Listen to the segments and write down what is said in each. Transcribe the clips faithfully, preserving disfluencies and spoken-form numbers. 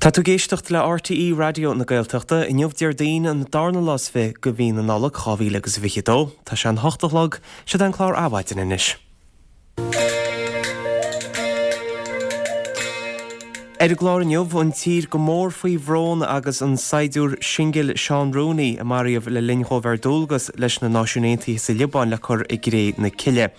Tá tú ag éisteacht le RTÉ Raidió na Gaeltachta inniu Déardaoin an darna lá is fiche de mhí na Nollag dhá mhíle agus a fiche dó. Tá sé an hocht a chlog, seo an clár Adhmhaidin anois. Ar an gclár inniu, an tír go mór faoi bhrón agus an saighdiúir singil Seán Rooney a maraíodh le linn dhó bheith ar dualgas leis na Náisiúin Aontaithe sa Liobáin le cur i gcré na cille.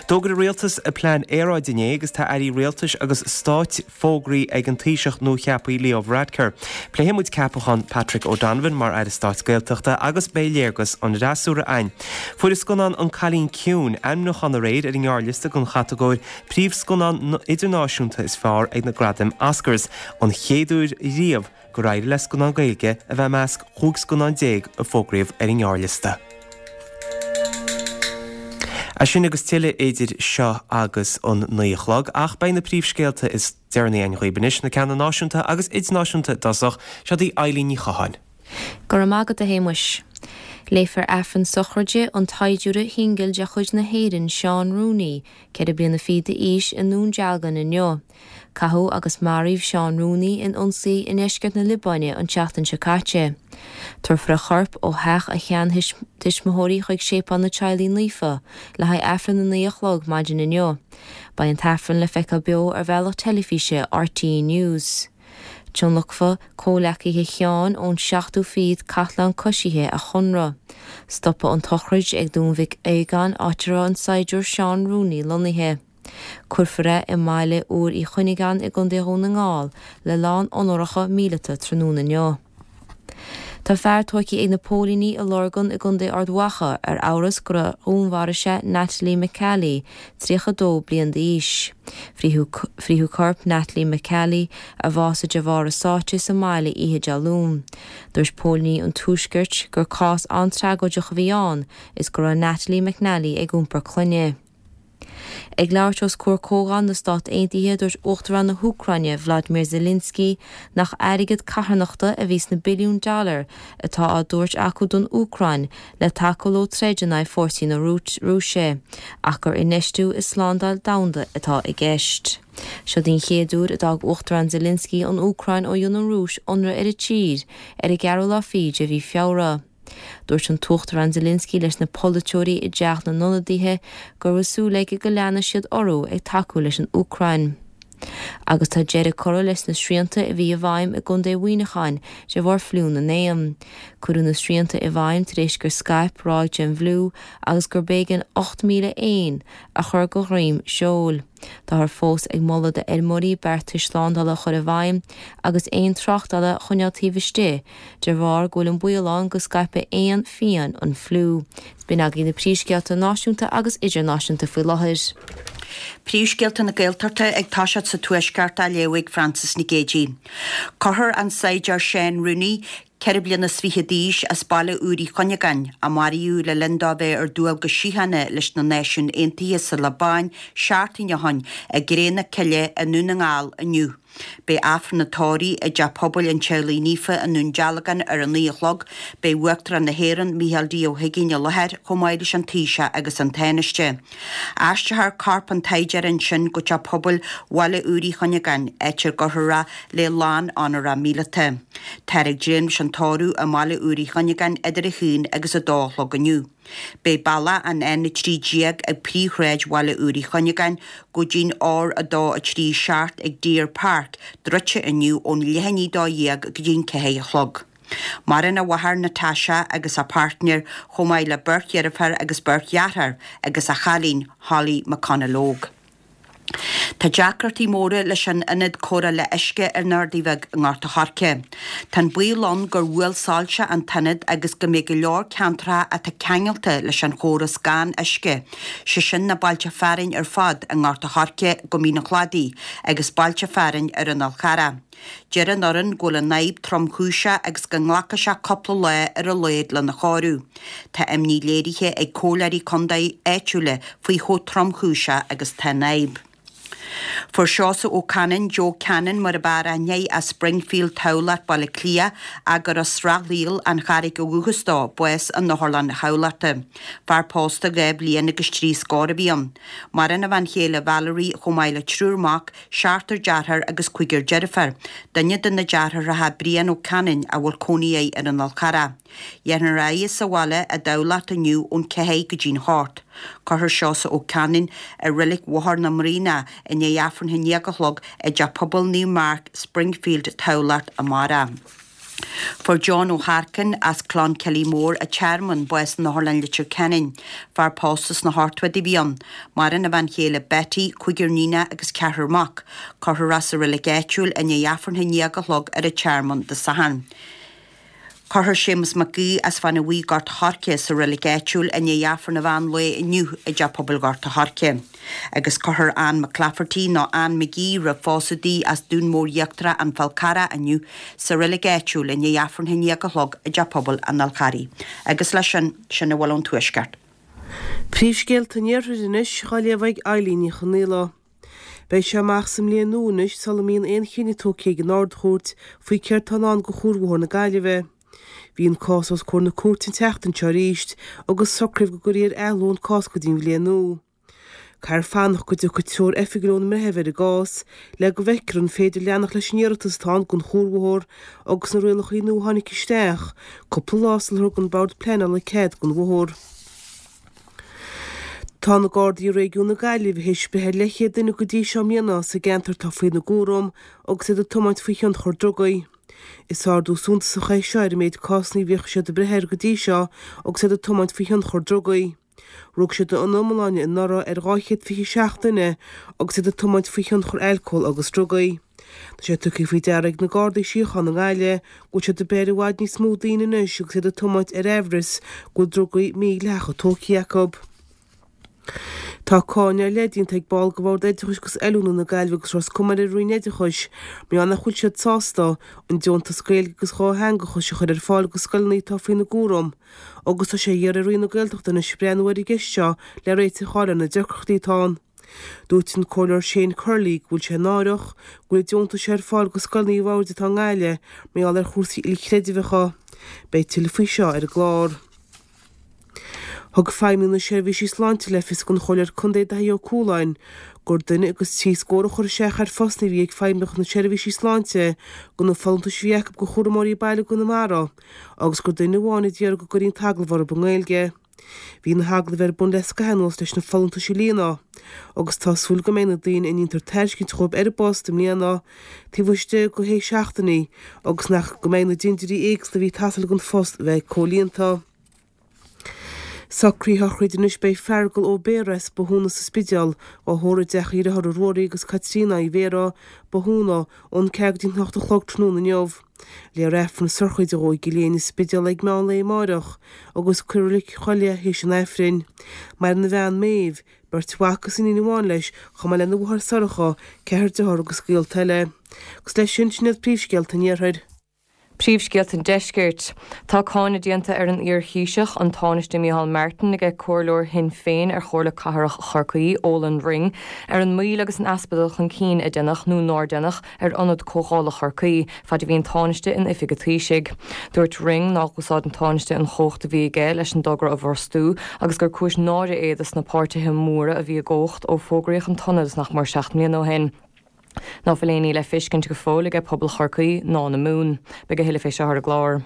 D'fhógair an rialtas a plean aeráide inné agus tá airí rialtais agus stáit fógraithe ag an Taoiseach nuacheaptha Leo Varadkar. Pléifidh muid ceapachán Patrick O'Donovan mar Aire Stáit Gaeltachta agus beidh léargas an fhreasúra againn. Fuair an scannán An Cailín Ciúin ainmniúchán aréir ar an ngearrliosta don chatagóir Príomhscannán Idirnáisiúnta is Fearr ag na Gradaim Oscars, an chéad uair riamh gur éirigh le scannán Gaeilge a bheith i measc chúig scannán déag a fógraíodh ar an ngearrliosta. É sin agus tuilleadh idir seo agus an naoi a chlog, ach beidh na príomhscéalta is deireanaí againn dhaoibh anois, na ceanna náisiúnta agus idirnáisiúnta i dtosach, seo í Eileen Ní Chatháin. Go raibh maith agat a Shéamuis. Léifear Aifreann sochraide an tsaighdiúra shingil de chuid na hÉireann, Seán Rooney, ceithre bliana fichead d'aois, i nDún Dealgan inniu. Caitheadh agus maraíodh Seán Rooney in ionsaí i ndeisceart na Liobáine an tseachtain seo caite. Tabharfar a chorp ó theach a sheantuismitheoirí chuig Séipéal na Teaghlaí Naofa le haghaidh Aifreann a naoi a chlog maidin inniu. Beidh an t-aifreann le feiceáil beo ar bhealach teilifíse RTÉ News. Tionlacfaidh comhghleacaithe Sheáin ón seachtú fichead Cathlán Coisithe a chónra. Stopfaidh an tsochraid ag Dún Mhic Aogáin áit a raibh an saighdiúir Seán Rooney lonnaithe. Cuirfear é i mbaile Iúr Uí Chuinneagáin i gContae Dhún na nGall le lán onóracha míleata tráthnóna inniu. Tá fear tógtha ag na póilíní i Lurgan i gContae Ard Mhacha ar amhras gur dhúnmharaigh sé Natalie McCallie, tríocha a dó bliain d'aois. Frítheadh corp Natalie McCallie, a bhásaigh de bharr a sáite sa mbaile oíche Dé Luain. Dúirt póilíní an Tuaiscirt gur cás an-tragóideach a bhí ann is go raibh Natalie McNally ag iompar clainne. Ag labhairt os comhair Comhdháil na Stát Aontaithe, dúirt Uachtarán na hÚcráine, Vladimir Zelensky, nach airgead carthanachta a bhí sna billiúin dollar atá á dtabhairt acu don Úcráin le tacú leo troid in aghaidh fórsaí na Rúise, ach gur infheistiú i slándáil domhanda atá i gceist. Seo den chéad uair a d'fhág Uachtarán Zelensky an Úcráin ó dhein an Rúis ionradh ar an tír ar an gceathrú lá fichead de mhí Feabhra. Dúirt an tUachtarán Zelensky leis na polaiteoirí i dTeach na nIonadaithe go raibh súil aige go leanfaidh siad orthu ag tacú leis an Úcráin. Agus tá deireadh curtha leis na srianta a bhí i bhfeidhm i gContae Mhuineacháin de bharr fliú na n-éan. Cuireadh na srianta i bhfeidhm tar éis gur scaip ráig den bhfliú agus gur b'éigean ocht míle éan a chur de dhroim seoil. Táthar fós ag moladh d'fheirmeoirí beartais slándála a chur i bhfeidhm agus éin tráchtála a choinneáil taobh istigh de bharr go bhfuil an baol ann go scaipfidh éin fiáin an fliú. B'in agaibh na príomhscéalta náisiúnta agus idirnáisiúnta faoi láthair. Príomhscéalta na Gaeltachta ag toiseacht sa Tuaisceart á léamh ag Frances Nic Géadaigh. Cuirfear an saighdiúir Seán Rooney, ceithre bliana is fiche d'aois, as baile Iúir Uí Chuinneagáin, a maraíodh le linn dó bheith ar dualgas síochána leis na Náisiúin Aontaithe sa Liobáin seachtain ó shin, i gcré na cille i nDún na nGall inniu. Beidh Aifreann an tórraimh i dTeach Pobail an Teaghlaigh Naofa i nDún Dealgan ar a naoi a chlog. Beidh Uachtarán na hÉireann, Micheál D. Ó hUiginn i láthair, chomh maith leis an Taoiseach agus an Tánaiste. Aistreofar corp an tsaighdiúra ansin go Teach Pobail Bhaile Iúir Uí Chuinneagáin, áit ar gcuirfear é le lán onóracha míleata. Táthar ag dréim leis an tórramh i mBaile Iúir Uí Chuinneagáin idir a haon agus a dó a chlog inniu. Beidh bealach an N a trí déag ag príomhshráid Bhaile Iúir Uí Chuinneagáin go dtí'n R a dó a trí seacht ag Deer Park druidte inniu ón leath i ndiaidh a dó dhéag go dtí'n ceathair a chlog. Maireann a mháthair Natasha agus a páirtnéir chomh maith le beirt dheirfiúr agus beirt dheartháir agus a chailín Holly McConalogue. Tá deacrachtaí móra leis an ionad cóireála uisce ar an Ardaidh Bheag i nGort a' Choirce. Tá an baol ann gur bhuail soilse an t-ionad agus go mbeidh go leor ceantracha atá ceangailte leis an chóras gan uisce, sé sin na bailte fearainn ar fad i nGort a' Choirce go Mín an Chladaigh agus bailte fearainn ar an Fhál Charrach. Deir an fhoireann go bhfuil an fhadhb tromchúiseach agus go nglacfaidh sé cúpla lá ar a laghad lena chóiriú. Tá imní léirithe ag comhairleoirí contae áitiúla faoi chomh tromchúiseach agus tá an fhadhb. Fuair Seosamh Ó Canainn, Joe Cannon mar ab fhearr aithne air, as Springfield, Tamhlacht, Baile Átha Cliath, ach gur as Srath Lial, an Charraig ó dhúchas dó, bás in Otharlann Thamhlachta. Fear pósta dhá bhliain agus trí scór a bhí ann. Maireann a bhean chéile Valerie chomh maith le triúr mac, seachtar dearthár agus cúigear deirfiúr. Duine de na deartháireacha Brian Ó Canainn a bhfuil cónaí air ar an Fhál Charrach. Dhéanfar é a adhradh sa bhaile i dTamhlacht inniu ón ceathair go dtí'n hocht. Cuirfear Seosamh Ó Canainn i Reilig Bhóthar na mBraonach i ndiaidh Aifreann a haon déag a chlog i dTeach Pobail Naomh Mark, Springfield, Tamhlacht amárach. Fuair John Ó hEarcáin as Cloncilly Mór an Tearmann bás in Otharlann Leitir Ceanainn. Fear pósta sna hochtóidí a bhí ann. Maireann a bhean chéile Betty, cúigear níonach agus ceathrar mac. Cuirfear é sa reilig áitiúil i ndiaidh Aifreann a haon déag a chlog ar an Tearmann Dé Sathairn. Cuirfear Séamus Mac Aoidh as Fáinne Bhuí Gort a' Choirce sa reilig áitiúil i ndiaidh Aifreann an mheán lae inniu i dTeach Pobail Ghort a' Choirce. Agus cuirfear Ann McClafferty nó Ann McGee roimh phósadh di as Dún Mór Íochtarach An Fál Carrach inniu sa reilig áitiúil i ndiaidh Aifreann a haon déag a chlog i dTeach Pobail an Fháil Charraigh. Agus leis sin, sin a bhfuil ón Tuaisceart. Príomhscéalta an Iarthair anois á léamh ag Eilín Ní Chonaola. Beidh sé amach sa mbliain nua anois sula mbíonn aon chinneadh tógtha ag an Ard-Chúirt faoi céard atá i ndán do Chuarbhóthar na Gaillimhe. Bhí an cás os comhair na cúirte an tseachtain seo arís agus socraíodh go gcuirfí ar athló an cás go dtí an bhliain nua. Caithfear fanacht go dtiocfaidh treoir oifigiúil ón mbreitheamh ar an gcás le go bhfeicfear an féidir leanacht leis an iarratas atá ann don chuarbhóthar agus na rialacha nua a tháinig isteach cúpla lá sular thug an Bord Pleanála cead don bhóthar. Tá na Gardaí i réigiún na Gaillimhe théis breith ar leathchéad duine go dtí seo i mbliana sa gceantar atá faoina gcúram agus iad ag tiomáint faoi thionchar drugaí. Is ardú suntasach é seo ar an méid cásanna a bhíodh siad ag breith air go dtí seo agus iad ag tiomáint faoi thionchar drugaí. Rug siad ina iomláine anuraidh ar dhá chéad fiche seacht duine agus iad ag tiomáint faoi thionchar alcóil agus drugaí. Tá sé tugtha faoi deara ag na Gardaí Síochána i nGaillimh go bhfuil siad ag breith ar i bhfad níos mó daoine anois agus iad ag tiomáint ar aimhreas go bhfuil drugaí mídhleathacha tógtha acu. Tá cáineadh ar leith déanta ag ball de Bhord Oideachais agus Oiliúna na Gaillimhe agus Ros Comáin ar an Roinn Oideachais mar gheall nach bhfuil siad sásta an deontas Gaeilge agus dhátheangachais a chur ar fáil do scoileanna atá faoina gcúram agus tá sé á iarraidh ar Roinn na Gaeltachta anois breathnú ar an gceist seo le réiteach a fháil ar na deacrachtaí atá ann. Dúirt an Comhairleoir Shane Curley go bhfuil sé náireach go bhfuil an deontas seo ar fáil do scoileanna an bhoird atá i nGaillimh mar gheall ar chúrsaí ilchreidmheacha. Beidh tuilleadh faoi seo ar an gclár. Thug Feidhmeannaigh na Seirbhísí Sláinte le fios don Chomhairleoir Contae Daithí Ó Cualáin gur duine agus trí scór a chuir isteach ar phostanna a bhí ag Feidhmeannacht na Seirbhísí Sláinte do na folúntais a bhí acu do chúramóirí baile i gConamara agus gur duine amháin a d'iarr go gcuirfí an t-agallamh orthu i nGaeilge. Bhí na hagallaimh ar bun le scaitheamh anuas leis na folúntais a líonadh agus tá súil go mbeidh na daoine a ndéantar tairiscint dhóibh ar an bpost i mbliana taobh istigh de shé seachtainí agus nach go mbeidh na dintiúirí éagsúla a bhí ag teastáil don phost a bheith comhlíonta. Socruithe sochraide anois Beidh Feargal Ó Béarra as Bothúna sa Spidéal á thórramh i dteach a dhearthár Ruairí agus Caitríona Uí Bhéarra, Bothúna, ón ceathair go dtí an hocht a chlog tráthnóna inniu. Léifear Aifreann sochraide dhó i gCill Éinne, Spidéal ag meán lae amáireach agus cuirfear i Reilig Choill é théis an Aifrinn. Maireann a bhean Méabh, beirt mhac agus iníon amháin leis, chomh maith lena mháthair Sorcha, ceathrar dearthár agus gaolta eile. Agus leis sin, sin iad príomhscéalta an Iarthair. Príomhscéalta an Deiscirt. Tá cáineadh déanta ar an iar-Thaoiseach, an Tánaiste Micheál Martin, ag comhairleoir Shinn Féin ar Chomhairle Cathrach Chorcaí, Olan Ring, ar an moill agus an easpa dul chun cinn a deineadh nó nár deineadh ar Ionad Comhdhála Chorcaí fad a bhí an Tánaiste in oifig an Taoisigh. Dúirt Ring nár úsáid an Tánaiste an chumhacht a bhí aige leis an dtogra a bhrostú agus gur cúis náire é dos na páirtithe móra a bhí i gcumhacht ó fógraíodh an t-ionad nach mór seacht mbliana ó shin. Ná fuil aon ní le feiscint go fóill aige pobal Chorcaí ná na Mumhan. Beidh a thuilleadh fé seo ar an gclár.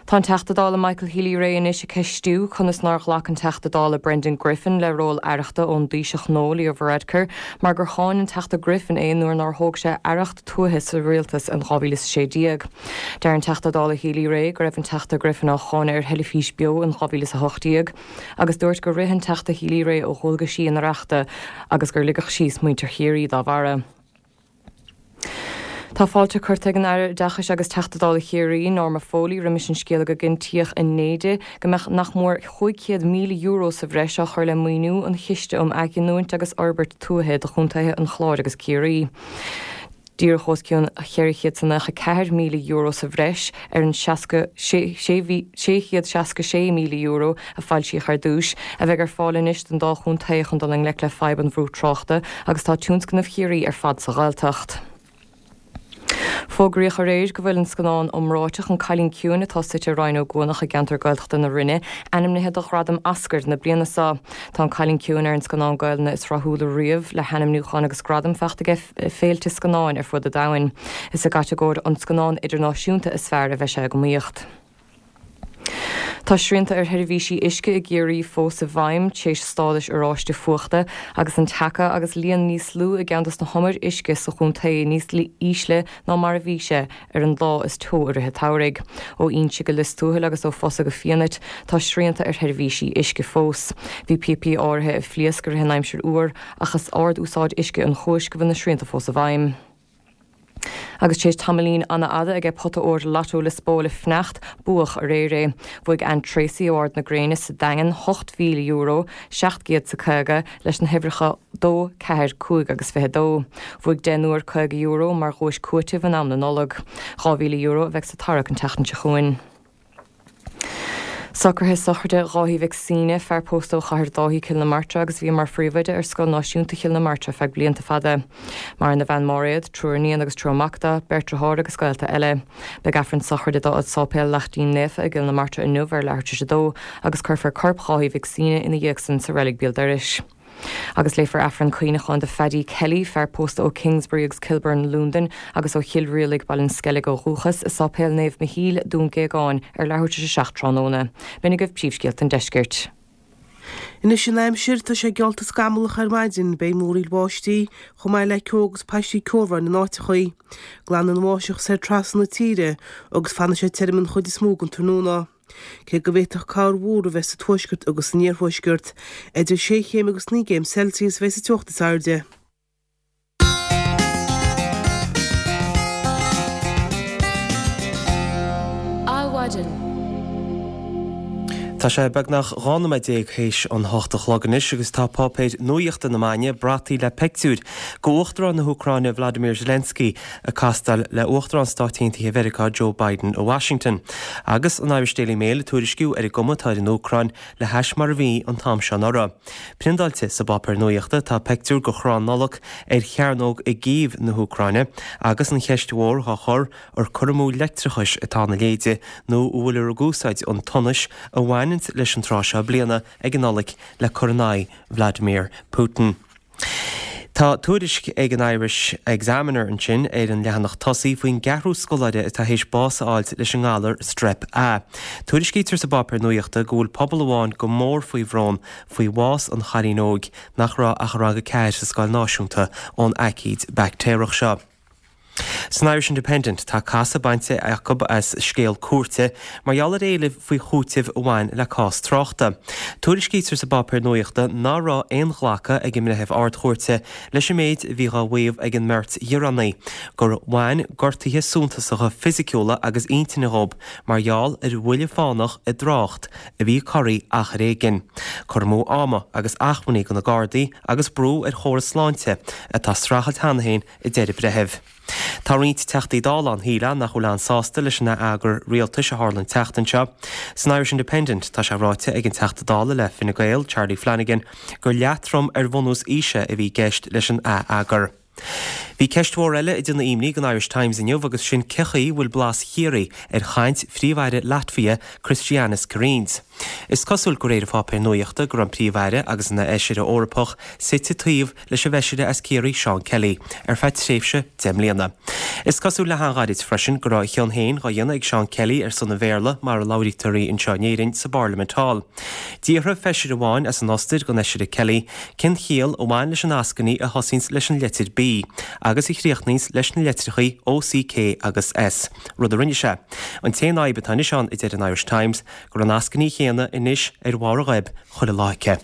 Tá an Teachta Dála Michael Healy-Rae anois ag ceistiú conas nár ghlac an Teachta Dála Brendan Griffin le ról aireachta ón dTaoiseach nua Leo Varadkar mar gur cháin an Teachta Griffin é nuair nár thóg sé aireacht tuaithe sa rialtas in dhá mhíle is a sé déag. Deir an Teachta Dála Healy-Rae go raibh an Teachta Griffin á cháineadh ar theilifís beo in dhá mhíle is a hocht déag agus dúirt gur rith an Teachta Healy-Rae ó dhualgaisí an Aireachta agus gur ligeadh síos muintir Chiarraí dá bharra. Tá fáilte curtha ag an Aire Oideachais agus Teachta Dála Chiarraí, Norma Foley, roimis an scéala go gcinntíodh inné di go mbeadh nach mór chúig chéad míle euro sa bhreis á chur le maoiniú an Chiste um Athghiniúint agus Fhorbairt Tuaithe do chontaetha an Chláir agus Ciarraí. Díreach os cionn cheithre chéad is nócha ceathair míle euro sa bhreis ar an sé chéad seasca sé míle euro a foilsíodh ar dtús, a bheidh ar fáil anois don dá chontae chun dul i ngleic le fadhb an bhrú tráchta agus tá tionscnamh Chiarraí ar fad sa Ghaeltacht. Fógraíodh aréir go bhfuil an scannán iomráiteach An Cailín Ciúin atá suite i Rinn Ó gCuanach i gceantar Gaeltachta na Rinne ainmnithe do Ghradam Oscar na bliana seo. Tá An Cailín Ciúin ar an scannán Gaelainne is rathúla riamh le hainmniúcháin agus gradaim faighte aige féilte scannáin ar fud an domhain. Is i gcatagóir an scannán idirnáisiúnta is fearr a bheidh sé ag iomaíocht. Tá srianta ar sheirbhísí uisce i gCiarraí fós i bhfeidhm tar éis stádais oráiste fuachta agus an taca agus líon níos lú i gceann de na humair uisce sa chontae níos ísle ná mar a bhí sé ar an lá is teo i rith an tsamhraidh. Ó Inse go Lios Tuathail agus ó Fosa go Fianait tá srianta ar sheirbhísí uisce fós. Bhí píopaí áirithe ag phléasc i rith an aimsir fhuar ach is ard-úsáid uisce an chúis go bhfuil na srianta fós i bhfeidhm. Agus tar éis tamaillín an-fhada aige pota óir Lotto Liospóil a fanacht, buadh aréir é. Bhuaigh Ann Tracy ó Ard na Gréine sa Daingean ocht mhíle euro, seacht gcéad is a caoga, leis na huimhreacha dó, ceathair, cúig agus fiche dó. Bhuaigh deichniúr caoga euro mar dhuais cúitimh in am na Nollag. Dhá mhíle euro a bheidh sa tarrac an tseachtain seo chugainn. Socruithe sochraide Dháithí Mhic Suibhne, fear pósta ó Chathair Dáithí, Cill na Martra agus a bhí mar phríomhoide ar Scoil Náisiúnta Chill na Martra feadh blianta fada. Maireann a bhean Máiréad, triúr iníon agus triúr mac dó, beirt deartháir agus gaolta eile. Beidh Aifreann sochraide dó i Sáipéal Laichtín Naofa i gCill na Martra inniu ar leathuair tar éis a dó agus cuirfear corp Dháithí Mhic Suibhne ina dhiaidh san sa reilig béal dorais. Agus léifear Aifreann cuimhneacháin do Phaddy Kelly, fear pósta ó Kingsbury agus Kilburn, Londain, agus ó Chill Rialaig, Baile an Sceilg ó dhúchas, i Sáipéal Naomh Michíl, Dún Géagáin, ar leathuair tar éis a seacht tráthnóna. B'in agaibh príomhscéalta an deiscirt. Anois an aimsir, tá sé geallta scamallach ar maidin, beidh múraíl bháistí, chomh maith le ceo agus paistí ceobhráin in áiteachaí. Glanfaidh an bháisteach soir trasna na tíre agus fanfaidh sé tirim an chuid is mó den tráthnóna. Cé go bhféadfadh corrmhúr a bheith sa tuaisceart agus san iarthuaisceart, idir sé chéim agus naoi gcéim Celsius a bheidh sa teocht is airde. Adhmhaidin. Tá sé beagnach dhá nóiméad déag théis an hocht a chlog anois agus tá páipéir nuaíochta na maidne brataithe le pictiúir de Uachtarán na hÚcráine Vladimir Zelensky ag castáil le Uachtarán Stáit Aontaithe Mheiriceá Joe Biden i Washington. Agus an Irish Daily Mail ag tuairisciú ar an gcuma atá ar an Úcráin le hais mar a bhí an t-am seo anuraidh. Priondáilte sa bpáipéar nuaíochta tá pictiúr de chrann Nollag ar chearnóg i gCív na hÚcráine agus an cheist mhór dhá chur ar cur amú leictreachais atá ina leithéide nó an bhfuiltear ag úsáid an tsonais a bhaineanns leis an tráth seo bliana ag an Nollaig le cur in aghaidh Vladimir Putin. Tá tuairisc ag an Irish Examiner ansin ar an leathanach tosaigh faoin gceathrú scoláire atá théis bás a fháilt leis an ngalar Strep A. Tuairiscítear sa bpáipéar nuaíochta go bhfuil pobal amháin go mór faoi bhrón faoi bhás an chailín óig nach raibh ach i rang a ceathair sa scoil náisiúnta ón aicíd baictéarach seo. San Irish Independent tá casadh bainte acu as scéal cúirte mar gheall ar éilimh faoi chúiteamh a bhain le cás tráchta. Tuairiscítear sa bpáipéar nuaíochta ná raibh aon ghlacadh ag an mbreitheamh Ard-Chúirte leis an méid a bhí dhá mhaíomh ag an mbeirt ghearánaí, gur bhain gortuithe suntasacha fisiciúla agus intinne dhób mar gheall ar bhuille fánach i dtrácht a bhí corraithe achar éigin. Cur amú ama agus acmhainní do na Gardaí agus brú ar chóras sláinte atá ag streachailt cheana féin, a deir an breitheamh. Tá roinnt Teachtaí Dála ann, shílfeá, nach bhfuil an-sásta leis an ath-eagar rialtais a tharla an tseachtain seo. San Irish Independent tá sé ráite ag an Teachta Dála le Fine Gael, Charlie Flanagan, gur leatrom ar bhunús aoise a bhí i gceist leis an ath-eagar. Bhí ceist mhór eile ag déanamh imní don Irish Times inniu agus sin cé chaoi bhfuil blas Chiarraí ar chaint Phríomh-Aire Latvia, Krišjānis Kariņš. Is cosúil de réir an pháipéir nuaíochta go raibh an Príomh-Aire agus ina Fheisire Eorpach suite taobh leis an bhFeisire as Ciarraí Seán Kelly ar feadh tréimhse deich mbliana. Is cosúil le han-ghairid freisin go raibh a chion féin dhá dhéanamh ag Seán Kelly ar son an Bhéarla mar a labhraítear í anseo in Éirinn sa bParlaimint thall. D'fhiafraigh Feisire amháin as an Ostair den Fheisire Kelly cén chiall a bhain leis an eascainí a thosaíonns leis an litir B agus a chríochnaíonns leis na litreachaí O, C, K agus S, rud a rinne sé. An t-aon fhadhb atá anois ann, a deir an Irish Times, gur an eascainí chéanna céanna anois ar bharr a goib chuile lá aici.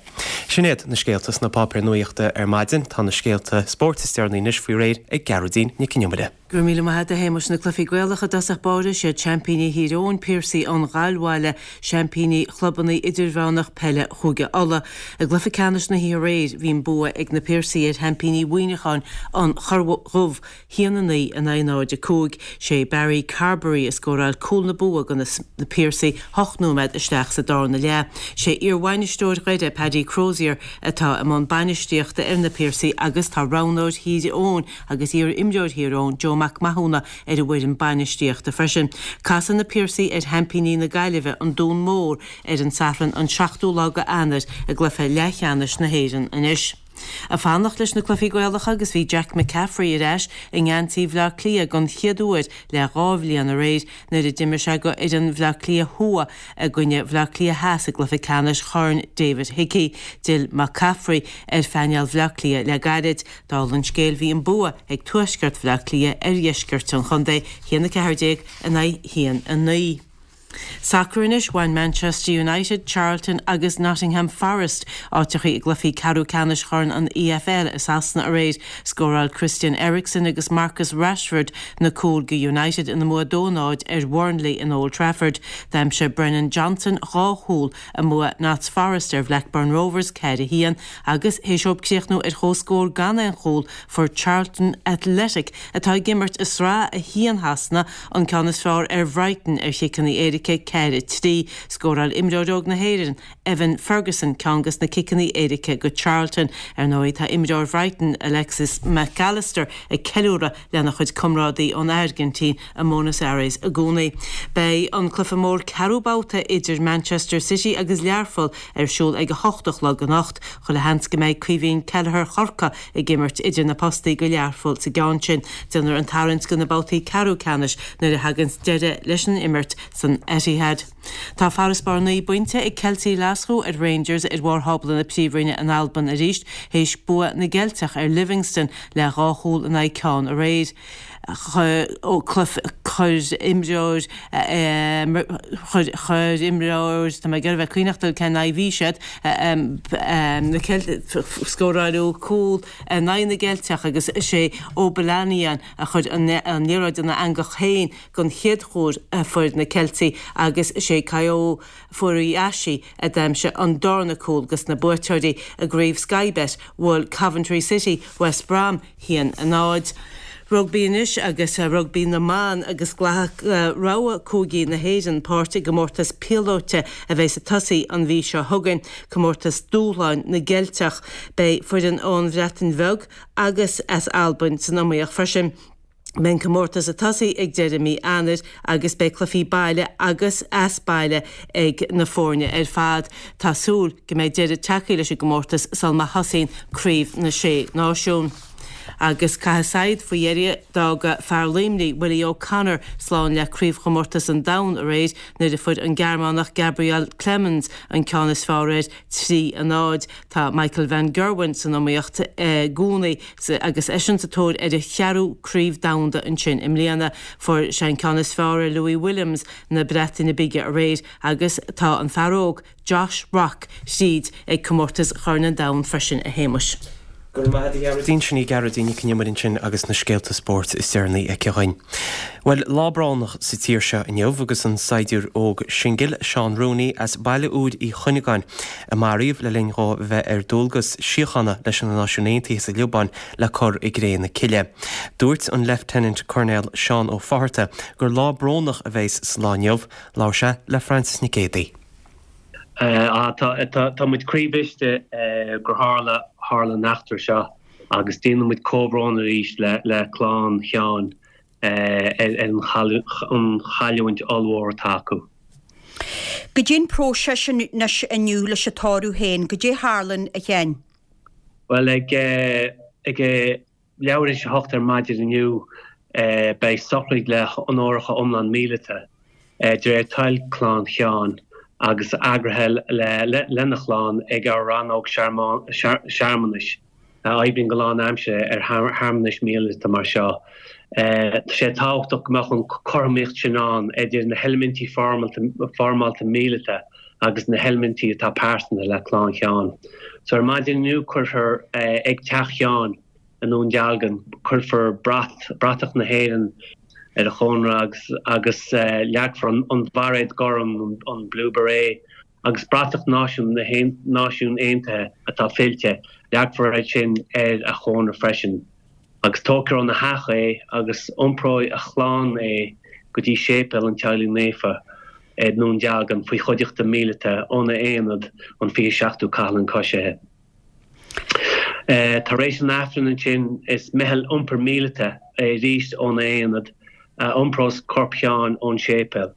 Sin iad na scéalta sna páipéir nuachta ar maidin, tá na scéalta spóirt is deireanaí anois faoi réir ag Gearóidín Nic Con Iomaire. Go raibh míle maith agat a Shéamais na cluichí Gaelacha i dtosach báire siad seaimpíní Thír Eoghain Piarsaigh ón Ghallbhaile, seaimpíní chlubanna idirmheánach peile Chúige Uladh. I gcluiche ceannais na hoíche aréir bhí an bua ag na Piarsaigh ar sheaimpíní Mhuineacháin an Chorr Dhubh, haon a naoi in aghaidh náid a cúig. Sé Barry Carberry a scóráil cúl na bua do na Piarsaigh hocht nóiméad isteach sa darna leath. Sé iarbhainisteoir Dhoire Paddy Crozier atá i mbun bainistíochta ar na Piarsaigh agus tá roghnóir Thír Eoghain agus iar-imreoir Thír Eoghain Joe Mac Mathúna ar an bhfoireann bainistíochta freisin. Casfaidh na Piarsaigh ar sheaimpíní na Gaillimhe an Dún Mór ar an Satharn an seachtú lá de Eanáir i gcluiche leathcheannais na hÉireann anois. Ag fanacht leis na cluichí Gaelacha agus bhí Jack McCaffrey ar ais i ngeansaí Bhaile Átha Cliath don chéad uair le dhá bhliain aréir nuair a d'imir sé do fhoireann Bhaile Átha Cliath Thuaidh i gcoinne Bhaile Átha Cliath Theas i gcluiche ceannais Chorn David Hickey. D'fhill McCaffrey ar phainéal Bhaile Átha Cliath le gairid. Dála an scéil bhí an bua ag tuaisceart Bhaile Átha Cliath ar dheisceart an chontae, haon a ceathair déag in aghaidh haon a naoi. Sacar anois bhain Manchester United, Charlton agus Nottingham Forest áiteacha i gcluichí ceathrú ceannais Chorn an EFL i Sasana aréir. Scóráil Christian Eriksen agus Marcus Rashford na cúil do United ina mbua dó náid ar Burnley in Old Trafford. D'aimsigh Brennan Johnson dhá chúl i mbua Notts Forest ar Blackburn Rovers ceathair a haon agus théis dóibh críochnú ar chomhscór gan aon chúl fuair Charlton Athletic atá ag imirt i Sraith a haon Shasana an ceann is fearr ar Bhrighton ar chiceanna éirice ceathair a trí. Scóráil imreoir óg na hÉireann, Evan Ferguson, ceann de na ciceanna éirice do Charlton. Ar ndóigh tá imreoir Bhrighton, Alexis Mac Allister ag ceiliúradh lena chuid comrádaí ón Airgintín i mBuenos Aires i gcónaí. Beidh an cluiche mór ceathrú babhta idir Manchester City agus Learpholl ar siúl ag a hocht a chlog anocht, chuile sheans go mbeidh Caoimhín Kelleher Chorcaí ag imirt idir na postaí do Learpholl sa gceann sin. Déanfar an tarraingt do na babhtaí ceathrú ceannais nuair a thaganns deireadh leis an imirt san Etihad. Tá farasbarr naoi bpointe ag Ceiltigh Ghlaschú ar Rangers ar bharr thábla na Príomhroinne in Albain arís théis bua na gCeilteach ar Livingston le dhá chúl in aghaidh ceann aréir. Chuir imreoir chuir imreoir tá mé ag iarraidh bheith cuimhneach cén aghaidh bhí siad na scóráileadh cúl in aghaidh na gCeilteach agus sé Obilanian a chuir an liathróid ina eangach féin don chéad chúl a fuair na Ceiltigh agus sé Kayo Furuhashi a d'aimsigh an darna cúl dos na buaiteoirí i gcraobh Sky Bet bhuail Coventry City West Brom haon a náid. Rugbaí anois agus rugbaí na mban agus glacfaidh rogha cúigí na hÉireann páirt i gcomórtas píolóta a bheidh ag tosaí an mhí seo chugainn, comórtas dúshláin na gCeilteach. Beidh foireann ón Bhreatain Bheag agus as Albain san iomaíocht freisin. Beidh an comórtas ag tosaí ag deireadh mí Eanáir agus beidh cluichí baile agus as baile ag na foirne ar fad. Tá súil go mbeidh deireadh tagtha leis an gcomórtas sul má thosaíonn Craobh na Sé Náisiún. Agus caithfidh saighead faoi dheireadh d'fhág fear Luimnigh, Willie O'Connor, slán le craobhchomórtas an domhain aréir nuair a fuair an Gearmánach Gabriel Clemens an ceann is fearr air trí a náid. Tá Michael van Gerwen san iomaíocht i gcónaí agus eisean sa tóir ar a cheathrú craobh domhanda ansin i mbliana. Fuair sé an ceann is fearr ar Louis Williams na Breataine Bige aréir agus tá an fear óg Josh Rock tríd ag comórtas Chorn an Domhain freisin a Shéamais. Go raibh maith agat a Ghearóidín, sin í Gearóidín Nic Con Iomaire ansin agus na scéalta spóirt is deireanaí aici dhuinn. Bhuel, lá brónach sa tír seo inniu agus an saighdiúir óg singil Seán Rooney as Baile Úir Uí Chuinneagáin a maraíodh le linn dhó bheith ar dualgas síochána leis na Náisiúin Aontaithe sa Liobáin le cur i gcré na cille. Dúirt an Lieutenant Colonel Seán Ó Fátharta gur lá brónach a bheas sa lá inniu, labhair sé le Frances Nic Géadaigh. Tá muid croíbhriste gur tharla tharla an eachtra seo agus déanann muid comhbhrón arís le le clann Sheáin ar an chailliúint ollmhór atá acu. Goidé an próiseas anois inniu leis an tórramh féin, goidé a tharlaíonn a Sheáin? Bhuel ag ag leathuair tar éis a hocht ar maidin inniu beidh sochraid le honóracha iomlán míleata de réir toil clann Sheáin agus eagraithe lena chlann ag ár rannóg searmanais a oibríonn go lánaimseartha ar shearmanais míleata mar seo. Tá sé tábhachtach go mbeadh an chothromaíocht sin ann idir na heilimintí foirmeálta míleata agus na heilimintí atá pearsanta le clann Sheáin. So ar maidin inniu cuirfear ag teach Sheáin i nDún Dealgan, cuirfear brat, bratach na hÉireann ar a chónra agus agus leagfar an bhairéad gorm, an blue beret, agus bratach náisiún na Náisiún Aontaithe atá fillte, leagfar é sin ar a chónra freisin. Agus tógfar óna theach é agus iompróidh a chlann é go dtí Séipéal an Teaghlaigh Naofa i nDún Dealgan faoi chuideachta míleata óna aonad, an fiche seachtú Cathlán Coisithe. Tar éis an Aifrinn ansin is meitheal iompair míleata arís óna aonad a iompros corp Sheáin ón séipéal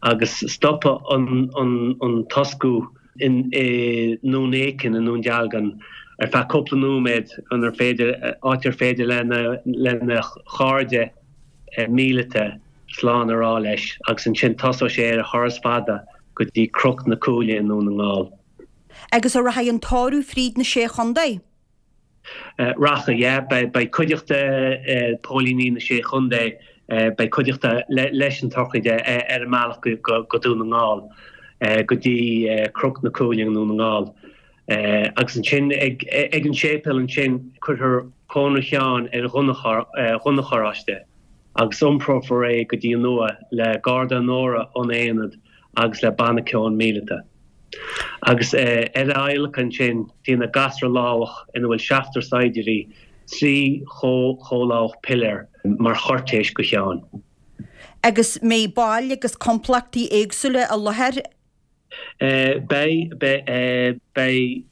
agus stopfaidh an toscú i nDún Éiceann i nDún Dealgan ar feadh cúpla nóiméad inar féidir, áit ar féidir lena chairde míleata slán a rá leis agus ansin tosóidh sé ar a thuras fada go dtí Cnoc na Cúile i nDún na nGall. Agus an rachaidh an tórramh fríd na Sé Chontae? Rachaidh, yeah. Beidh cuideachta póilíní na Sé Chontae, beidh cuideachta leis an tsochraid ar an mbealach go Dún na nGall, go dtí Cnoc na Cúile i nDún na nGall. Agus ansin ag an séipéal ansin cuirfear cónra Sheáin ar ghunna charráiste agus iomprófar é go dtí an uaigh le garda onóra ón aonad agus le banna ceoil míleata. Agus ar a adhlacadh ansin déanfaidh gasra lámhach ina bhfuil seachtar saighdiúirí trí chomhlámhach piléar mar chúirtéis go Sheán. Agus mbeidh baill agus complachtaí éagsúla i láthair? Beidh, beidh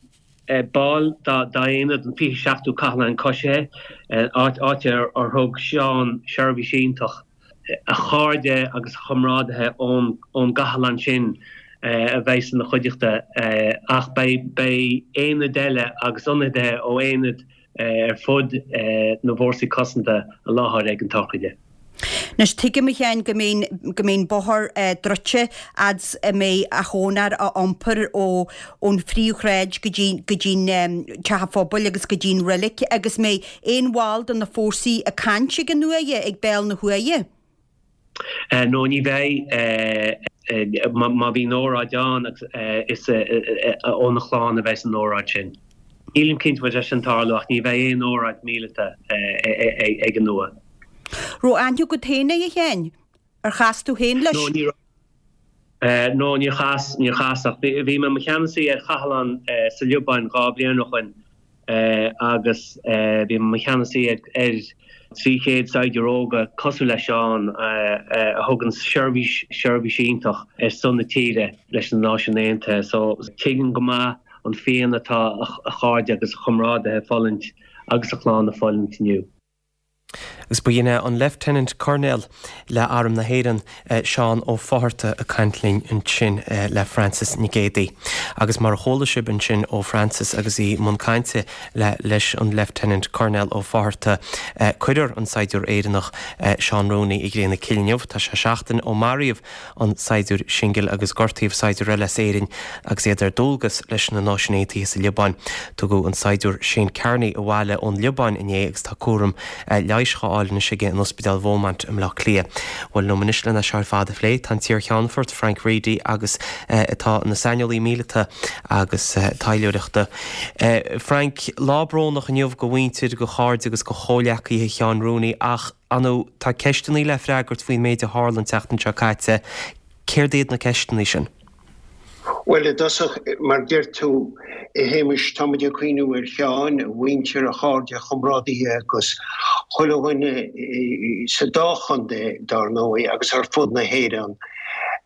baill dá aonad, an fiche seachtú Cathlán Coisithe, áit ar thug Seán seirbhís iontach, a chairde agus a chomrádaithe ón gcathlán sin a bheidh ina chuideachta ach beidh aonaid eile agus ionadaithe ó aonaid ar fud na bhfórsaí cosanta i láthair ag an tsochraid. Anois tuigim a Sheáin go mbeidh go mbeidh an bóthar druidte fhad 's a mbeidh a chónra á iompar ó ón phríomhshráid go dtí go dtí'n teach an phobail agus go dtí'n reilig agus mbeidh aon bhall de na fórsaí ag caint ag an uaighe ag béal na huaighe? No ní bheidh. Má bhíonn óráid ann is óna chlann a bheas an óráid sin. Nílim cinnte an bhfuil sé sin ag tarlú ach ní bheidh aon óráid míleata ag an uaigh. Raibh aithne agat féin air a Sheáin? Ar chas tú féin leis? No ní raibh. No níor chas, níor chas ach bhí mé i mo cheannasaí ar chathlán sa Liobáin dhá bhliain ó shoin agus bhí mé i mo cheannasaí ar trí chéad saighdiúir óga cosúil le Seán a thugann seirbhís, seirbhís iontach ar son na tíre leis na Náisiúin Aontaithe. So tuigim go maith an phian atá a chairde agus a chomrádaithe ag fulaingt agus a chlann ag fulaingt inniu. Agus ba shin é an Leifteanant Coirnéal le Arm na hÉireann, Seán Ó Fátharta ag caint linn ansin le Frances Nic Géadaigh. Agus mar a chuala sibh ansin ó Frances agus í i mbun cainte le leis an Leifteanant Coirnéal Ó Fátharta, cuirfear an saighdiúir Éireannach Seán Rooney i gcré na cille inniu. Tá sé seachtain ó maraíodh an saighdiúir singil agus gortaíodh saighdiúir eile as Éirinn agus iad ar dualgas leis na Náisiúin Aontaithe sa Liobáin. Tugadh an saighdiúir Shane Kearney abhaile ón Liobáin inné agus tá cúram leighis dhá fháil anois aige in Ospidéal Beaumont i mBleá Cliath. Bhuel, liom anois lena seo ar fad a phlé, tá an t-iar-cheannfort Frank Reidy agus atá ina saineolaí míleata agus taidhleoireachta. Frank, lá brónach inniu go mhuintir, go chairde agus go chomhleacaithe Sheáin Rooney ach, ar ndóigh, tá ceisteanna le freagairt faoin méid a tharla an tseachtain seo caite. Céard iad na ceisteanna sin? Bhuel, i dtosach, mar a deir tú, a Shéamais, tá muid ag cuimhniú ar Sheán, a mhuintir, a chairde, a chomrádaithe agus chuile dhuine sa dá chontae, dár ndóigh, agus ar fud na hÉireann.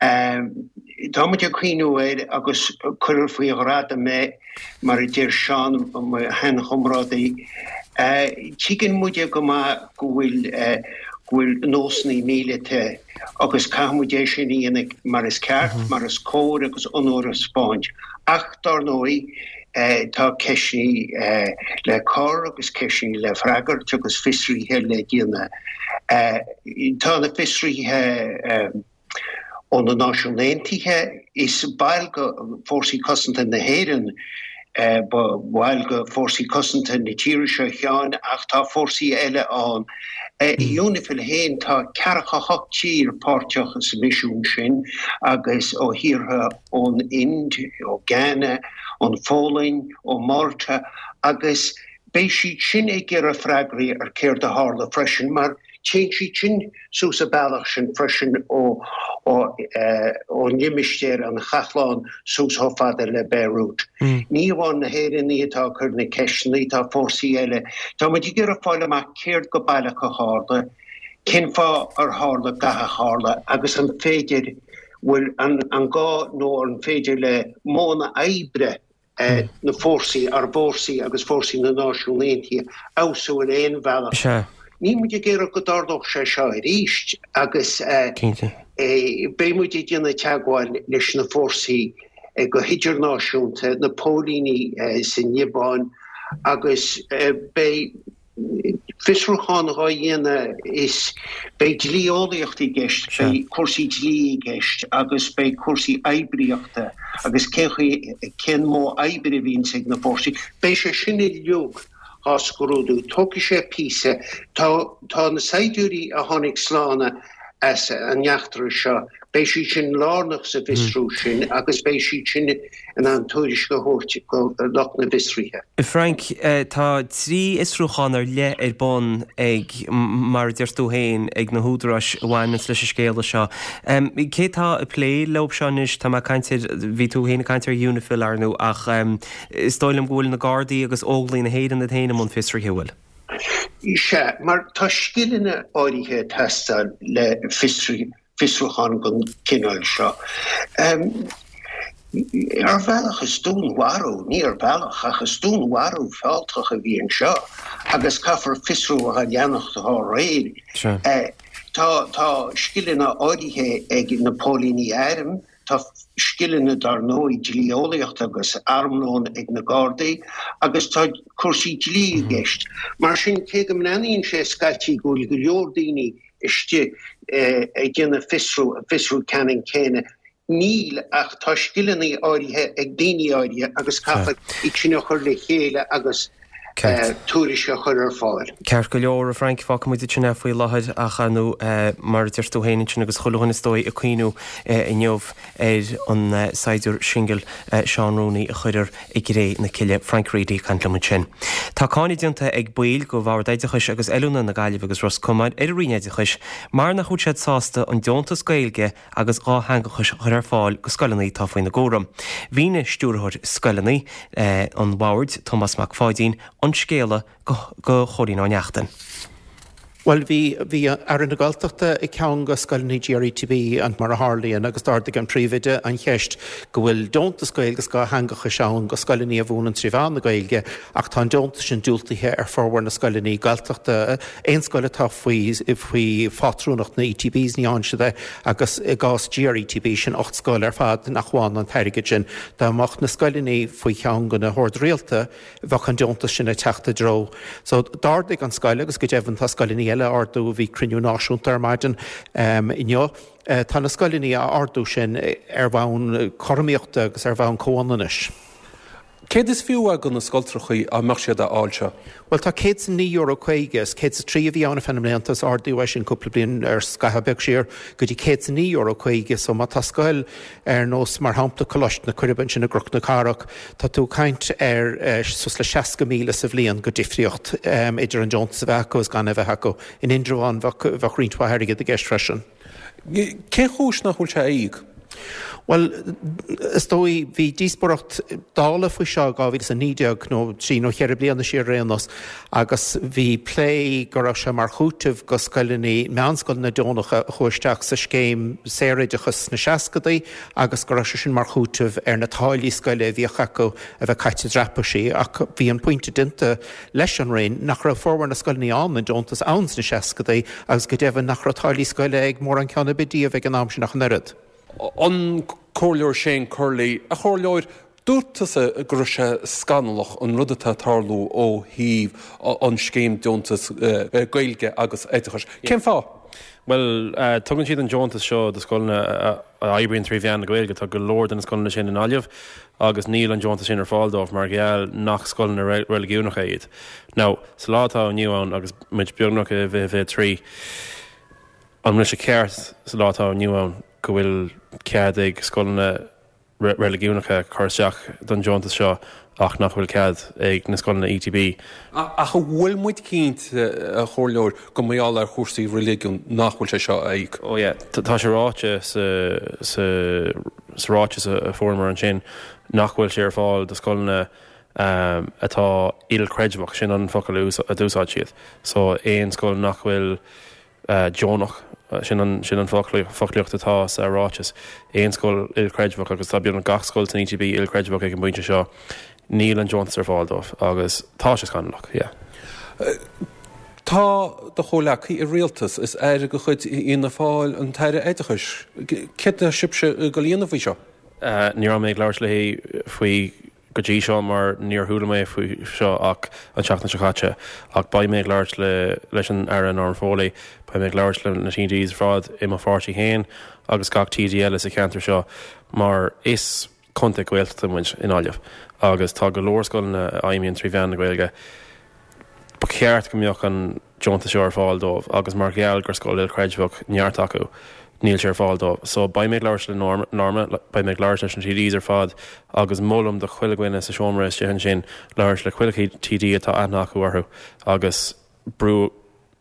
Tá muid ag cuimhniú air agus cuirfear faoi ghradam é, mar a deir Seán, mo sheanchomrádaí. Tuigeann muide go maith go bhfuil go bhfuil nósanna míleata agus caithfidh muid é sin a dhéanamh mar is ceart, mar is cóir agus onóir a thaispeáint. Ach, dár ndóigh, tá ceisteanna le cur agus ceisteanna le freagairt agus fiosruithe le déanamh. Tá na fiosruithe ó na Náisiúin Aontaithe, is baill de Fórsaí Cosanta na hÉireann Ba bhall de Fórsaí Cosanta na tíre seo Seán ach tá fórsaí eile ann. I UNIFIL féin tá ceathracha hocht tír páirteach sa misiún sin agus ó thíortha ón Ind, ó Ghana, ón Pholainn, ó Málta agus beidh siad sin ag iarraidh freagraí ar céard a tharla freisin mar Téann siad sin suas an bealach sin freisin ó ón limistéar an Chathlán suas chomh fada le Beirut. Ní amháin na hÉireannaigh atá ag cur na ceisteanna, tá fórsaí eile. Tá muid ag iarraidh fáil amach céard go baileach a tharla, cén fáth ar tharla gach a tharla agus an féidir, bhfuil an gá nó an féidir le modhanna oibre na fórsaí, ár bhfórsaí agus fórsaí na Náisiún Aontaithe, fheabhsú ar aon bhealach. Sea. Níl muid ag iarraidh go dtarlódh sé seo arís agus beidh muid ag déanamh teagmháil leis na fórsaí go hidirnáisiúnta, na póilíní sa Liobáin agus beidh fiosrúchán dhá dhéanamh is beidh dlí-eolaíocht i gceist, beidh cúrsaí dlí i gceist agus beidh cúrsaí oibríochta agus cén chaoi, cén modh oibre a bhíonns ag na fórsaí. Beidh sé sin uilig dhá scrúdú. Tógfaidh sé píosa. Tá, tá na saighdiúirí a tháinig slán as an eachtra seo, beidh siad sin lárnach sa bhfiosrú sin agus beidh siad sin in ann tuairisc a thabhairt go lucht na bhfiosruithe. Frank, tá trí fhiosrúchán ar leith ar bun ag, mar a deir tú féin, ag na húdaráis a bhaineanns leis an scéala seo. Cé tá ag plé leo seo anois? Tá mé ag caint ar, bhí tú féin ag caint ar UNIFIL, ar ndú, ach is dóigh liom go bhfuil na Gardaí agus Óglaigh na hÉireann iad féin i mbun fiosraithe, an bhfuil? Sea, mar tá scileanna áirithe ag teastáil le fiosrúchán den chineál seo. Ar bhealach is dúnmharú, ní ar bhealach, ach is dúnmharú fealltach a bhí anseo agus caithfear fiosrú a leanacht dá réir. Tá tá scileanna áirithe ag na póilíní airm, Tá scileanna dar ndóigh dlí-eolaíochta agus armlóin ag na Gardaí agus tá cúrsaí dlí i gceist. Mar sin, cé go mbreathnaíonn sé scaití go bhfuil go leor daoine istigh ag déanamh fiosrú, an fiosrú ceannann céanna, níl ach tá scileanna áirithe ag daoine áirithe agus caithfear iad sin a chur le chéile agus tuairisc a chur ar fáil. Ceart go leor, a Frank, fágfaidh muid ansin é faoi láthair ach ar ndóigh, mar a deir tú féin ansin agus chuile dhuine is dóigh ag cuimhniú inniu ar an saighdiúir singil Seán Rooney a cuireadh i gcré na cille. Frank Reidy ag caint liom ansin. Tá cáineadh déanta ag baill de Bhord Oideachais agus Oiliúna na Gaillimhe agus Ros Comáin ar an Roinn Oideachais mar nach bhfuil siad sásta an deontas Gaeilge agus dhátheangachais a chur ar fáil go scoileanna atá faoina gcúram. Mhínigh Stiúrthóir Scoileanna an Bhoird, Tomás Mac Pháidín, an scéala go Chóilín Ó Neachtain. Bhuel, bhí, bhí Aire na Gaeltachta ag ceann de scoileanna GRETB mar a tharlaíonn agus d'ardaigh an príomhoide an cheist go bhfuil deontas Gaeilge agus dhátheangachais ann go scoileanna a mhúineann trí mheán na Gaeilge ach tá an deontas sin diúltaithe ar formhór na scoileanna Gaeltachta. Aon scoil atá faoi, faoi phátrúnacht na ETBs ní fhaigheann siad é agus i gcás GRETB sin ocht scoil ar fad nach bhfaigheann an t-airgead sin. Dá mbeadh na scoileanna faoi cheann de na hoird rialta bheadh an deontas sin ag teacht a dtreo. So d'ardaigh an scoil agus go deimhin tá scoileanna eile á ardú, bhí cruinniú náisiúnta ar maidin inniu. Tá na scoileanna á ardú sin ar bhonn cothromaíochta agus ar bhonn comhionannais. Céard is fiú é do na scoltrachaí dá mbeadh siad á fháil seo? Bhuel tá céad is a naoi euro caoga, is céad is a trí a bhí ann ar feadh na mblianta is ardaíodh é sin cúpla bliain ar scaitheamh beag siar go dtí céad is a naoi euro caoga so má tá scoil ar nós mar shampla Coláiste na Coiribe ansin i gCnoc na Cathrach tá tú ag caint ar suas le seasca míle sa bhliain go difríocht idir an deontas a bheith acu is gan é a bheith acu. In Indreabhán bheadh bheadh roinnt mhaith airgid i gceist freisin. Cén chúis nach bhfuil sé á íoc? Bhuel, is dóigh, bhí díospóireacht Dála faoi seo i dhá mhíle is a naoi déag, nó trí nó cheithre bliana siar ar aon nós, agus bhí plé go raibh sé mar chúiteamh go scoileanna, meánscoileanna deonacha a chuaigh isteach sa scéim saoroideachais sna seascadaí agus go raibh sé sin mar chúiteamh ar na táillí scoile a bhíodh acu a bheith caite i dtraipisí. Ach bhí an pointe déanta leis an Roinn nach raibh formhór na scoileanna ann, an deontas ann sna seascadaí agus go deimhin nach raibh táillí scoile ag mórán ceann ar bith díobh ag an am sin ach an oiread. An Comhairleoir Shane Curley, A Chomhairleoir, dúirt tusa go raibh sé scannalach an rud atá ag tarlú ó thaobh an scéim deontas Gaeilge agus oideachais. Cén fáth? Bhuel, tugann siad an deontas seo do scoileanna a oibríonn trí mheán na Gaeilge. Tá go leor de na scoileanna sin i nGaillimh agus níl an deontas sin ar fáil dóibh mar gheall nach scoileanna reiligiúnacha iad. Now, sa lá atá inniu ann, agus muid beagnach i bhfiche fiche trí, an bhfuil sé ceart sa lá atá inniu ann go bhfuil cead ag scoileanna reiligiúnacha cur isteach don deontas seo ach nach bhfuil cead ag na scoileanna ETB. Ach an bhfuil muid cinnte, a Chomhairleoir, gur mar gheall ar chúrsaí reiligiúin nach bhfuil sé seo á íoc? Oh yeah, tá sé ráite sa sa sa ráiteas a fuaireamar ansin nach bhfuil sé ar fáil do scoileanna atá ilchreidmheach, sin an focal a d'úsáid siad. So aon scoil nach bhfuil deonach, sin an sin an foclaíocht atá sa ráiteas, aon scoil ilchreidmheach agus tá beagnach gach scoil san ETB ilchreidmheach ag an bpointe seo, níl an deontas ar fáil dóibh agus tá sé scannalach, yeah. Tá do chomhleacaí i rialtas, is aire de chuid Fhianna Fáil an tAire Oideachais. Céard atá sibhse ag dul a dhéanamh faoi seo? Ní raibh mé ag labhairt léi faoi go dtí seo mar níor chuala mé faoi seo ach an tseachtain seo caite ach beidh mé ag labhairt le leis an Aire Norma Foley, beidh mé ag labhairt le na TDs ar fad i mo pháirtí féin agus gach TD eile sa cheantar seo mar is contae Gaeltachta muid i nGaillimh agus tá go leor scoileanna a fheidhmíonn trí mheán na Gaeilge. Ba cheart go mbeadh an deontas seo ar fáil dóibh agus mar gheall gur scoil ilchreidmheach neart acu, níl sé ar fáil dóibh. So beidh mé ag labhairt le Norma, beidh mé ag labhairt leis na TDs ar fad agus molaim do chuile dhuine sa seomra istigh ansin labhairt le chuile TD atá aithne acu orthu agus brú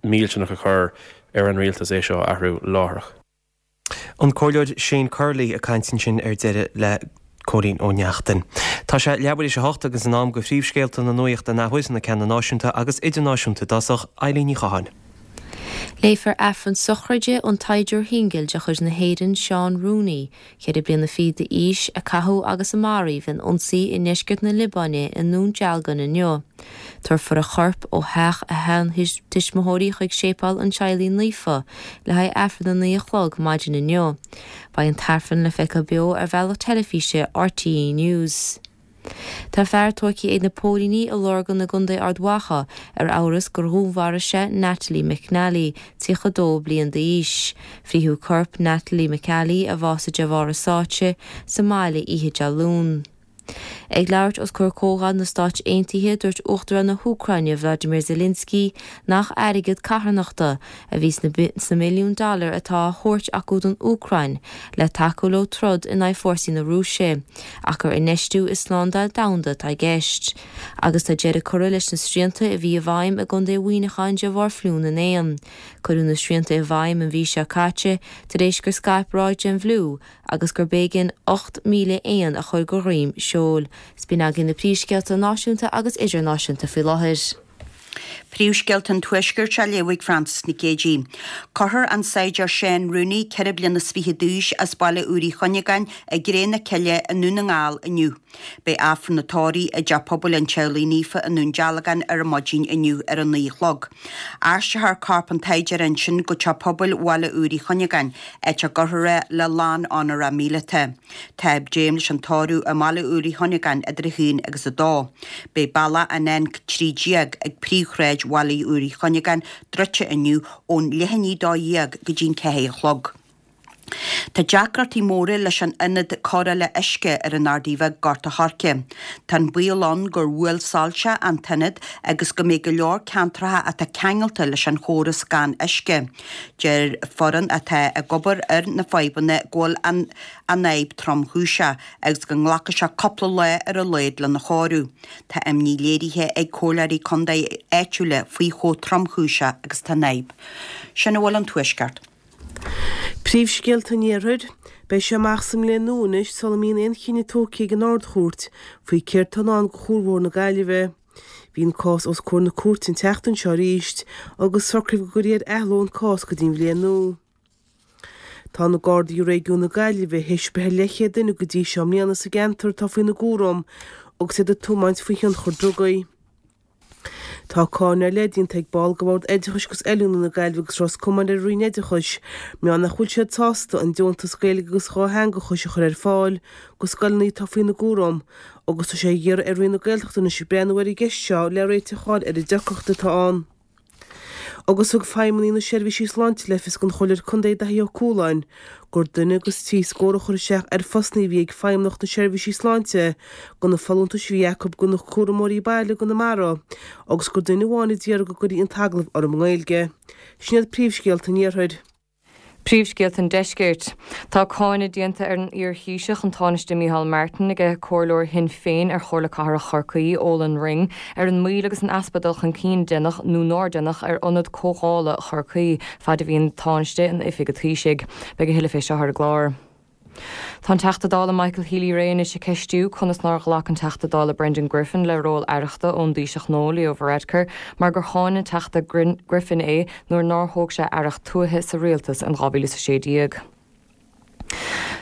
millteanach a chur ar an rialtas é seo a athrú láithreach. An Comhairleoir Shane Curley ag caint ansin ar deireadh le Cóilín Ó Neachtain. Tá sé leathuair théis a hocht agus in am do phríomhscéalta na nuachta an athuair, na ceanna náisiúnta agus idirnáisiúnta i dtosach, Eilín Ní Chatháin. Léifear Aifreann sochraide an tsaighdiúra shingil de chuid na hÉireann Seán Rooney, ceithre bliana fichead d'aois, a caitheadh agus a maraíodh in ionsaí i ndeisceart na Liobáine i nDún Dealgan inniu. Tabharfar a chorp ó theach a sheantuismitheoirí chuig Séipéal an Teaghlaigh Naofa le haghaidh Aifreann a naoi a chlog maidin inniu. Beidh an tAifreann le feiceáil beo ar bhealach teilifíse RTÉ News. Tá fear tógtha ag na póilíní i Lurgan i gContae Ard Mhacha ar amhras gur dhúnmharaigh sé Natalie McNally, tríocha dó bliain d'aois. Frítheadh corp Natalie McAlee, a bhásaigh de bharr a sáite, sa mbaile oíche Dé Luain. Ag labhairt os comhair Comhdháil na Stáit Aontaithe, dúirt Uachtarán na hÚcráine Vladimir Zelensky nach airgead carthanachta a bhí sna milliúin dollar atá á thabhairt acu don Úcráin le tacú leo troid in aghaidh fórsaí na Rúise, ach gur infheistiú i slándáil domhanda atá i gceist. Agus tá deireadh curtha leis na srianta a bhí i bhfeidhm i gContae Mhuineacháin de bharr fliú na n-éan. Cuireadh na srianta i bhfeidhm an mhí seo caite tar éis gur scaip ráig den bhfliú agus gurb éigean ocht míle éan a chur de dhroim seoil. 'S b'in againn na príomhscéalta náisiúnta agus idirnáisiúnta faoi láthair. Príomhscéalta an Tuaiscirt á léamh ag Frances Nic Géadaigh. Cuirfear an saighdiúir Seán Rooney, ceithre bliana is fiche d'aois, as Baile Úr Uí Chuinneagáin, i gcré na cille i nDún na nGall inniu. Beidh Aifreann an tórraimh i dTeach Pobail an Teaghlaigh Naofa i nDún Dealgan ar maidin inniu ar a naoi a chlog. Aistreofar corp an tsaighdiúra ansin go Teach Pobail Bhaile Úr Uí Chuinneagáin, áit a gcuirfear é le lán-onóracha míleata. Tá dréim leis an tórramh i mBaile Úr Uí Chuinneagáin idir a haon agus a dó. Beidh bealach an N trí déag ag príomhshráid Bhaile Úr Uí Chuinneagáin druidte inniu ón leath i ndiaidh a dó dhéag go dtí'n ceathair a chlog. Tá deacrachtaí móra leis an ionad cóireála uisce ar an Ardaidh Bheag, Gort a' Choirce. Tá an baol ann gur bhuail soilse an t-ionad agus go mbeidh go leor ceantracha atá ceangailte leis an chóras gan uisce. Deir foireann atá ag obair ar na fadhbanna go bhfuil an an fhadhb tromchúiseach agus go nglacfaidh sé cúpla lá ar a laghad lena chóiriú. Tá imní léirithe ag comhairleoirí contae áitiúla faoi chomh tromchúiseach agus atá an fhadhb. Sin a bhfuil ón Tuaisceart. Príomhscéalta an Iarthair, Beidh sé amach sa mbliain nua anois sula mbíonn aon chinneadh tógtha ag an Ard-Chúirt faoi céard atá i ndán do Chuarbhóthar na Gaillimhe. Bhí an cás os comhair na cúirte an tseachtain seo arís agus socraíodh go gcuirfí ar athló an cás go dtí an bhliain nua. Tá na Gardaí i réigiún na Gaillimhe théis breith ar leathchéad duine go dtí seo i mbliana sa gceantar atá faoina gcúram agus iad ag tiomáint faoi thionchar drugaí. Tá cáineadh ar leith déanta ag ball de Bhord Oideachais agus Oiliúna na Gaillimhe agus Ros Comáin ar an Roinn Oideachais mar gheall nach bhfuil siad sásta an deontas Gaeilge agus Dhátheangachais a chur ar fáil do scoileanna atá faoina gcúram agus tá sé á iarraidh ar Roinn na Gaeltachta anois breathnú ar an gceist seo le réiteach a fháil ar an deacracht atá ann. Agus thug feidhmeannaigh na Seirbhísí Sláinte le fios don Chomhairleoir Contae Daithí Ó Cualáin gur duine agus trí scór a chuir isteach ar phostanna a bhí ag Feidhmeannacht na Seirbhísí Sláinte do na folúntais a bhí acu do na cúramóirí baile i gConamara agus gur duine amháin a d'iarr go gcuirfí an t-agallamh orthu i nGaeilge. Sin iad príomhscéalta an Iarthair. Príomhscéalta an Deiscirt. Tá cáineadh déanta ar an iar-Thaoiseach, an Tánaiste Micheál Martin, aige comhairleoir Shinn Féin ar Chomhairle Cathrach Chorcaí, Olan Ring, ar an moill agus an easpa dul chun cinn a deineadh nó nár deineadh ar Ionad Comhdhála Chorcaí fad a bhí an Tánaiste in oifig an Taoisigh. Beidh a thuilleadh fé seo ar an gclár. Tá an Teachta Dála Michael Healy-Rae anois ag ceistiú conas nár ghlac an Teachta Dála Brendan Griffin le ról aireachta ón dTaoiseach nua Leo Varadkar mar gur cháin an Teachta Griffin é nuair nár thóg sé aireacht tuaithe sa rialtas in dhá mhíle is a sé déag.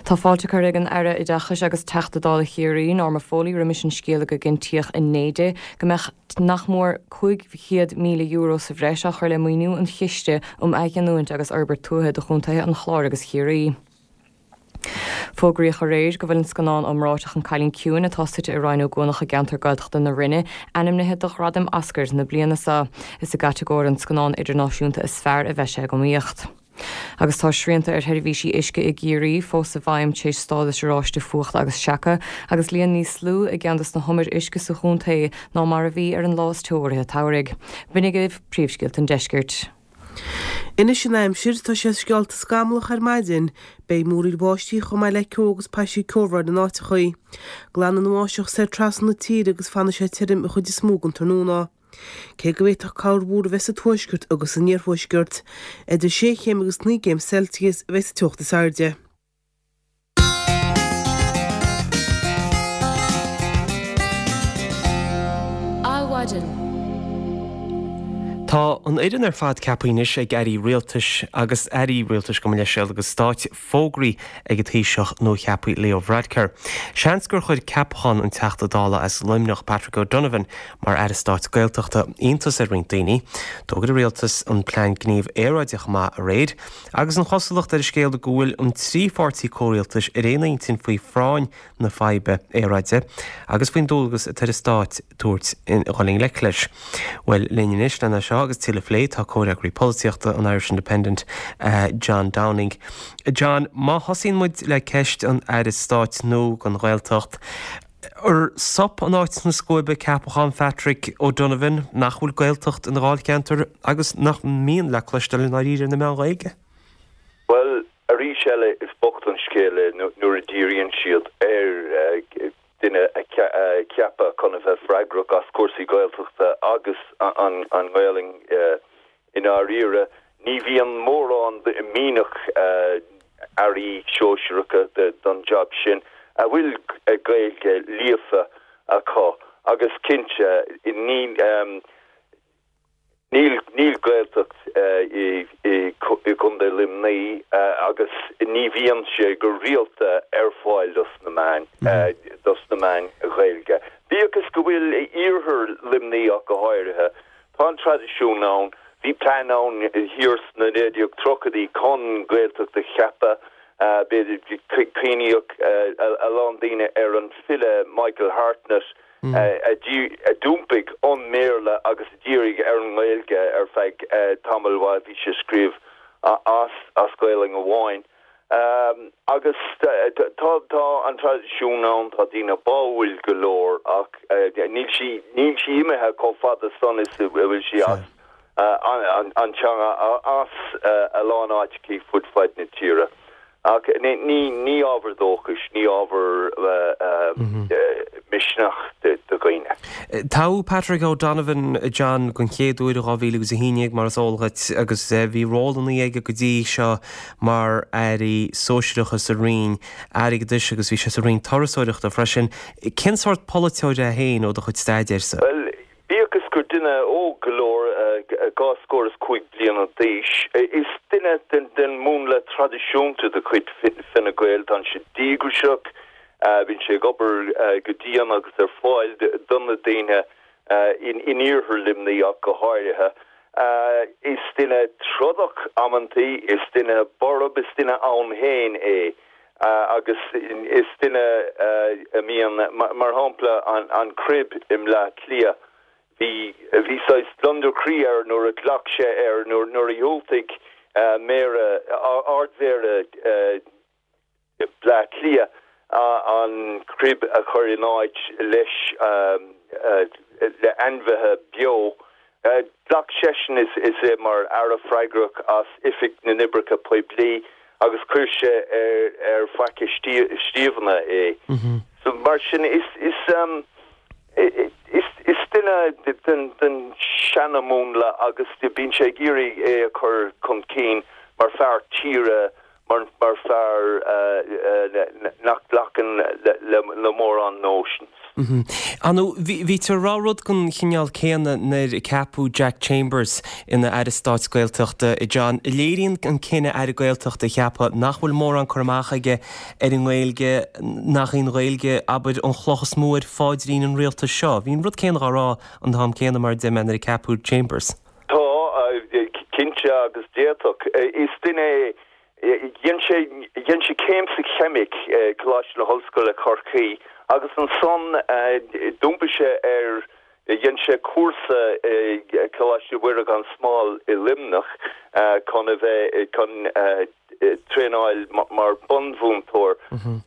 Tá fáilte curtha ag an Aire Oideachais agus Teachta Dála Chiarraí, Norma Foley, roimis an scéala go gcinntíodh inné di go mbeadh nach mór cúig chéad míle euro sa bhreis á chur le maoiniú an Chiste um Athghiniúint agus Fhorbairt Tuaithe do chontaetha an Chláir agus Chiarraí. Fógraíodh aréir go bhfuil an scannán iomráiteach An Cailín Ciúin, atá suite i Rinn Ó gCuanach i gceantar Gaeltachta na Rinne, ainmnithe do Ghradaim Oscars na bliana seo. Is i gcatagóir an Scannán Idirnáisiúnta is Fearr a bheidh sé ag iomaíocht. Agus tá srianta ar sheirbhísí uisce i gCiarraí fós i bhfeidhm tar éis stádas oráiste fuachta agus seaca, agus líon níos lú i gceann de na humair uisce sa chontae ná mar a bhí ar an lá is teo i rith an tsamhraidh. B'in agaibh príomhscéalta an deiscirt. Anois an aimsir, tá sé sceolta scamallach ar maidin. Beidh múraíl bháistí chomh maith le ceo agus paistí ceobhráin in áiteachaí. Glanfaidh an bháisteach soir trasna na tíre agus fanfaidh sé tirim an chuid is mó den tráthnóna. Cé go bhféadfadh corrmhúr a bheith sa tuaisceart agus san iarthuaisceart, idir sé chéim agus naoi gcéim Celsius a bheidh sa teocht is airde. Adhmhaidin. Tá an fhoireann ar fad ceaptha anois ag airí rialtais agus airí rialtais gabh mo leithscéal agus stáit fógraithe ag an Taoiseach nuacheaptha Leo Varadkar. Seans gur chuir ceapachán an Teachta Dála as Luimneach Patrick O'Donovan mar Aire Stáit Gaeltachta iontas ar roinnt daoine. D'fhógair an rialtas an Plean Gnímh Aeráide chomh maith aréir agus an chosúlacht ar an scéal go bhfuil an trí pháirtí comhrialtais ar aon intinn faoi phráinn na faidhbe aeráide agus faoin dualgas atá ar an stát tabhairt dhul i ngleic leis. Bhuel, linn anois lena seo agus tuilleadh a phlé tá comhfhreagraí polaitíochta an Irish Independent, John Downing. John, má thosaíonn muid le ceist an Aire Stáit nua don Ghaeltacht, ar sop an áit sna scuaibe ceapachán Phatrick O'Donovan, nach bhfuil Gaeltacht ina dháilcheantar agus nach mbíonn le cloisteáil i ndáiríre ar na meáin Ghaeilge? Bhuel, arís eile is bocht an scéal é nuair a dhíríonn siad ar duine a cheapadh chun a bheith freagrach as cúrsaí Gaeltachta agus an Ghaelainn i ndáiríre. Ní bhíonn mórán mianach airí sóisearacha don jab sin a bhfuil Gaeilge líofa acu agus cinnte ní Níl níl Gaeltacht i gContae Luimnigh agus ní bhíonn sé go rialta ar fáil dos na meáin dos na meáin Ghaeilge. Bíodh is go bhfuil i iarthar Luimnigh ach go háirithe, tá an traidisiún ann, bhí plean ann thiar sna naoi déag tríochaidí chun Gaeltacht a cheapadh, b'fhéidir cuimhníodh a lán daoine ar an file Michael Hartnett, a d'iompaigh ón mBéarla agus a dhírigh ar an nGaeilge ar feadh tamaill mhaith, bhí sé ag scríobh as Gaelainn amháin. Agus tá tá an traidisiún ann, tá daoine báúil go leor ach níl sí níl sí imithe chomh fada san is a bhfuil sí as an teanga as a lán áiteachaí fud fad na tíre. Ach ní ábhar dóchais, ní ábhar misneach do dhaoine. Toghadh Patrick O'Donovan, John, den chéad uair i dhá mhíle agus a haon déag, mar is eol dhuit, agus bhí rólanna aige go dtí seo mar airí sóisearacha sa Roinn Airgeadais agus bhí sé sa Roinn Turasóireachta freisin. Cén sórt polaiteoir é féin ó do chuid staidéir-sa? Bhuel, Bíodh is gur duine óg go leor, dhá scór is cúig bliana d'aois, is duine den mhúnla traidisiúnta de chuid Fine Gael. Tá sé díograiseach, bíonn sé ag obair go dian agus ar fáil do na daoine in iarthar Luimnigh ach go háirithe. Is duine trodach amantaí, is duine borb, is duine ann féin é agus is duine a mbíonn, mar shampla, an crib i mBleá Cliath, Bhí bhí saghas gliondar croí air nuair a ghlac sé air nuair nuair a dhiúltaigh méara ardmhéara Bleá Cliath an crib a chur in áit leis le ainmhithe beo. Ghlac seisean is is é mar aire freagrach as Oifig na nOibreacha Poiblí agus chuir sé ar ar Faiche Stiabhna é. So mar sin is is um, is is duine den den seanamúnla agus bíonn sé ag iarraidh é a chur chun cinn mar fear tíre mar mar fear uh, uh, nach nglacann le, le, le mórán notions. Anu bhí tú rá rud den chineál céanna nuair a ceapadh Jack Chambers ina Aire Stáit Gaeltachta i John. Léiríonn an cinneadh Aire Gaeltachta a cheapadh nach bhfuil mórán cur amach aige ar an nGaeilge nach í an Ghaeilge abair an chloch is mó ar phaidrín an rialtais seo. Bhí an rud céanna á rá an t-am céanna mar de nuair a ceapadh Chambers. Tá cinnte agus d'fhéadfadh is duine dhein sé dhein sé céim sa cheimic Coláiste na hOllscoile Corcaigh agus ansan d'iompaigh sé ar dhein sé cúrsa Coláiste Mhuire gan Smál i Luimneach chun a bheith chun traenáil mar bunmhúinteoir.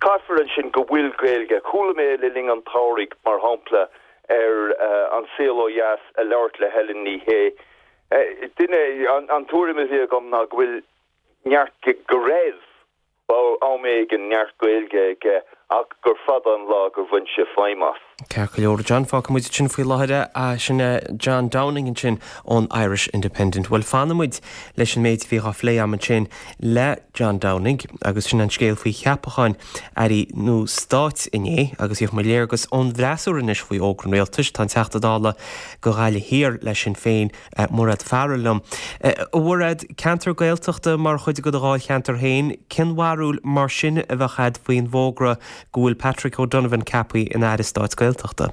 Caithfear ansin go bhfuil Gaeilge, chuala mé le linn an tsamhraidh mar shampla ar an Saol Ó Dheas ag labhairt le Helen Ní Shé. Duine an tuairim a bhí agam ná go bhfuil neart go raibh am éigin neart Gaeilge aige ach gur fada an lá gur bhain sé feidhm as. Ceart go leor John fágfaidh muid sin faoi láthair é sin John Downing ansin ón Irish Independent. Well fanfaidh muid leis an méid bhí á phlé agam ansin le John Downing agus sin an scéal faoi cheapacháin airí nua stáit inné agus gheobhaidh muid léargas ón bhfreasúra anois faoi fhógra an rialtais tá an Teachta Dála do Ghaillimh Thiar le Sinn Féin Mairéad Farrell liom. A Mhairéad ceantar Gaeltachta mar chuid de do dháilcheantar féin, cén bharúil mar sin a bheadh agat faoin bhfógra go bhfuil Patrick O'Donovan ceaptha ina Aire Stáit Gaeltachta.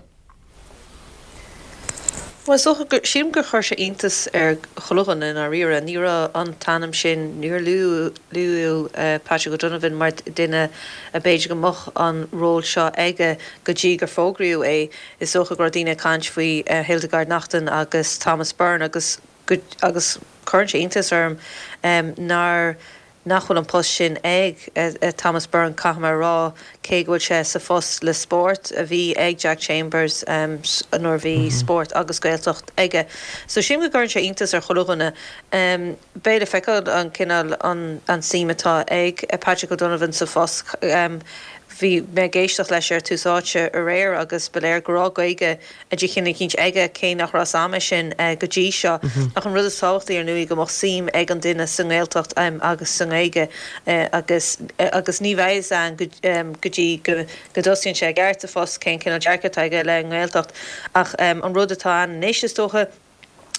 Well sílim gur chuir sé iontas ar chuile dhuine i ndáiríre, ní raibh an t-ainm sin níor luadh uh, Patrick O'Donovan mar duine a b'fhéidir go mbeadh an ról seo aige go dtí gur fógraíodh é is dócha go raibh daoine ag caint faoi uh, Hildegard Naughton agus Thomas Byrne agus agus chuir sé iontas orm um, nár nach bhfuil an post sin ag uh, Thomas Byrne caithfidh mé a rá cé go bhfuil sé sa phost le spórt a bhí ag Jack Chambers um, nuair bhí mm -hmm. spórt agus Gaeltacht aige. So sin go gcuireann sé iontas ar chuile dhuine um, Beidh le feiceáil an cineál an, an suim atá ag uh, Patrick O'Donovan sa phost um, bhí mé ag éisteacht leis ar Tús Áite aréir agus ba léir go raibh Gaeilge de chineál eicínt aige cé nach raibh a fhios agam sin uh, go dtí seo mm -hmm. ach an rud is tábhachtaí ar ndóigh go mbeadh suim ag an duine sa nGaeltacht um, agus sa nGaeilge uh, agus uh, agus ní bheidh an go, um, go dtí go, go dtosaíonn sé ceart sa phost cén cineál dearcadh aige le nGaeltacht ach um, an rud atá ann anois is dócha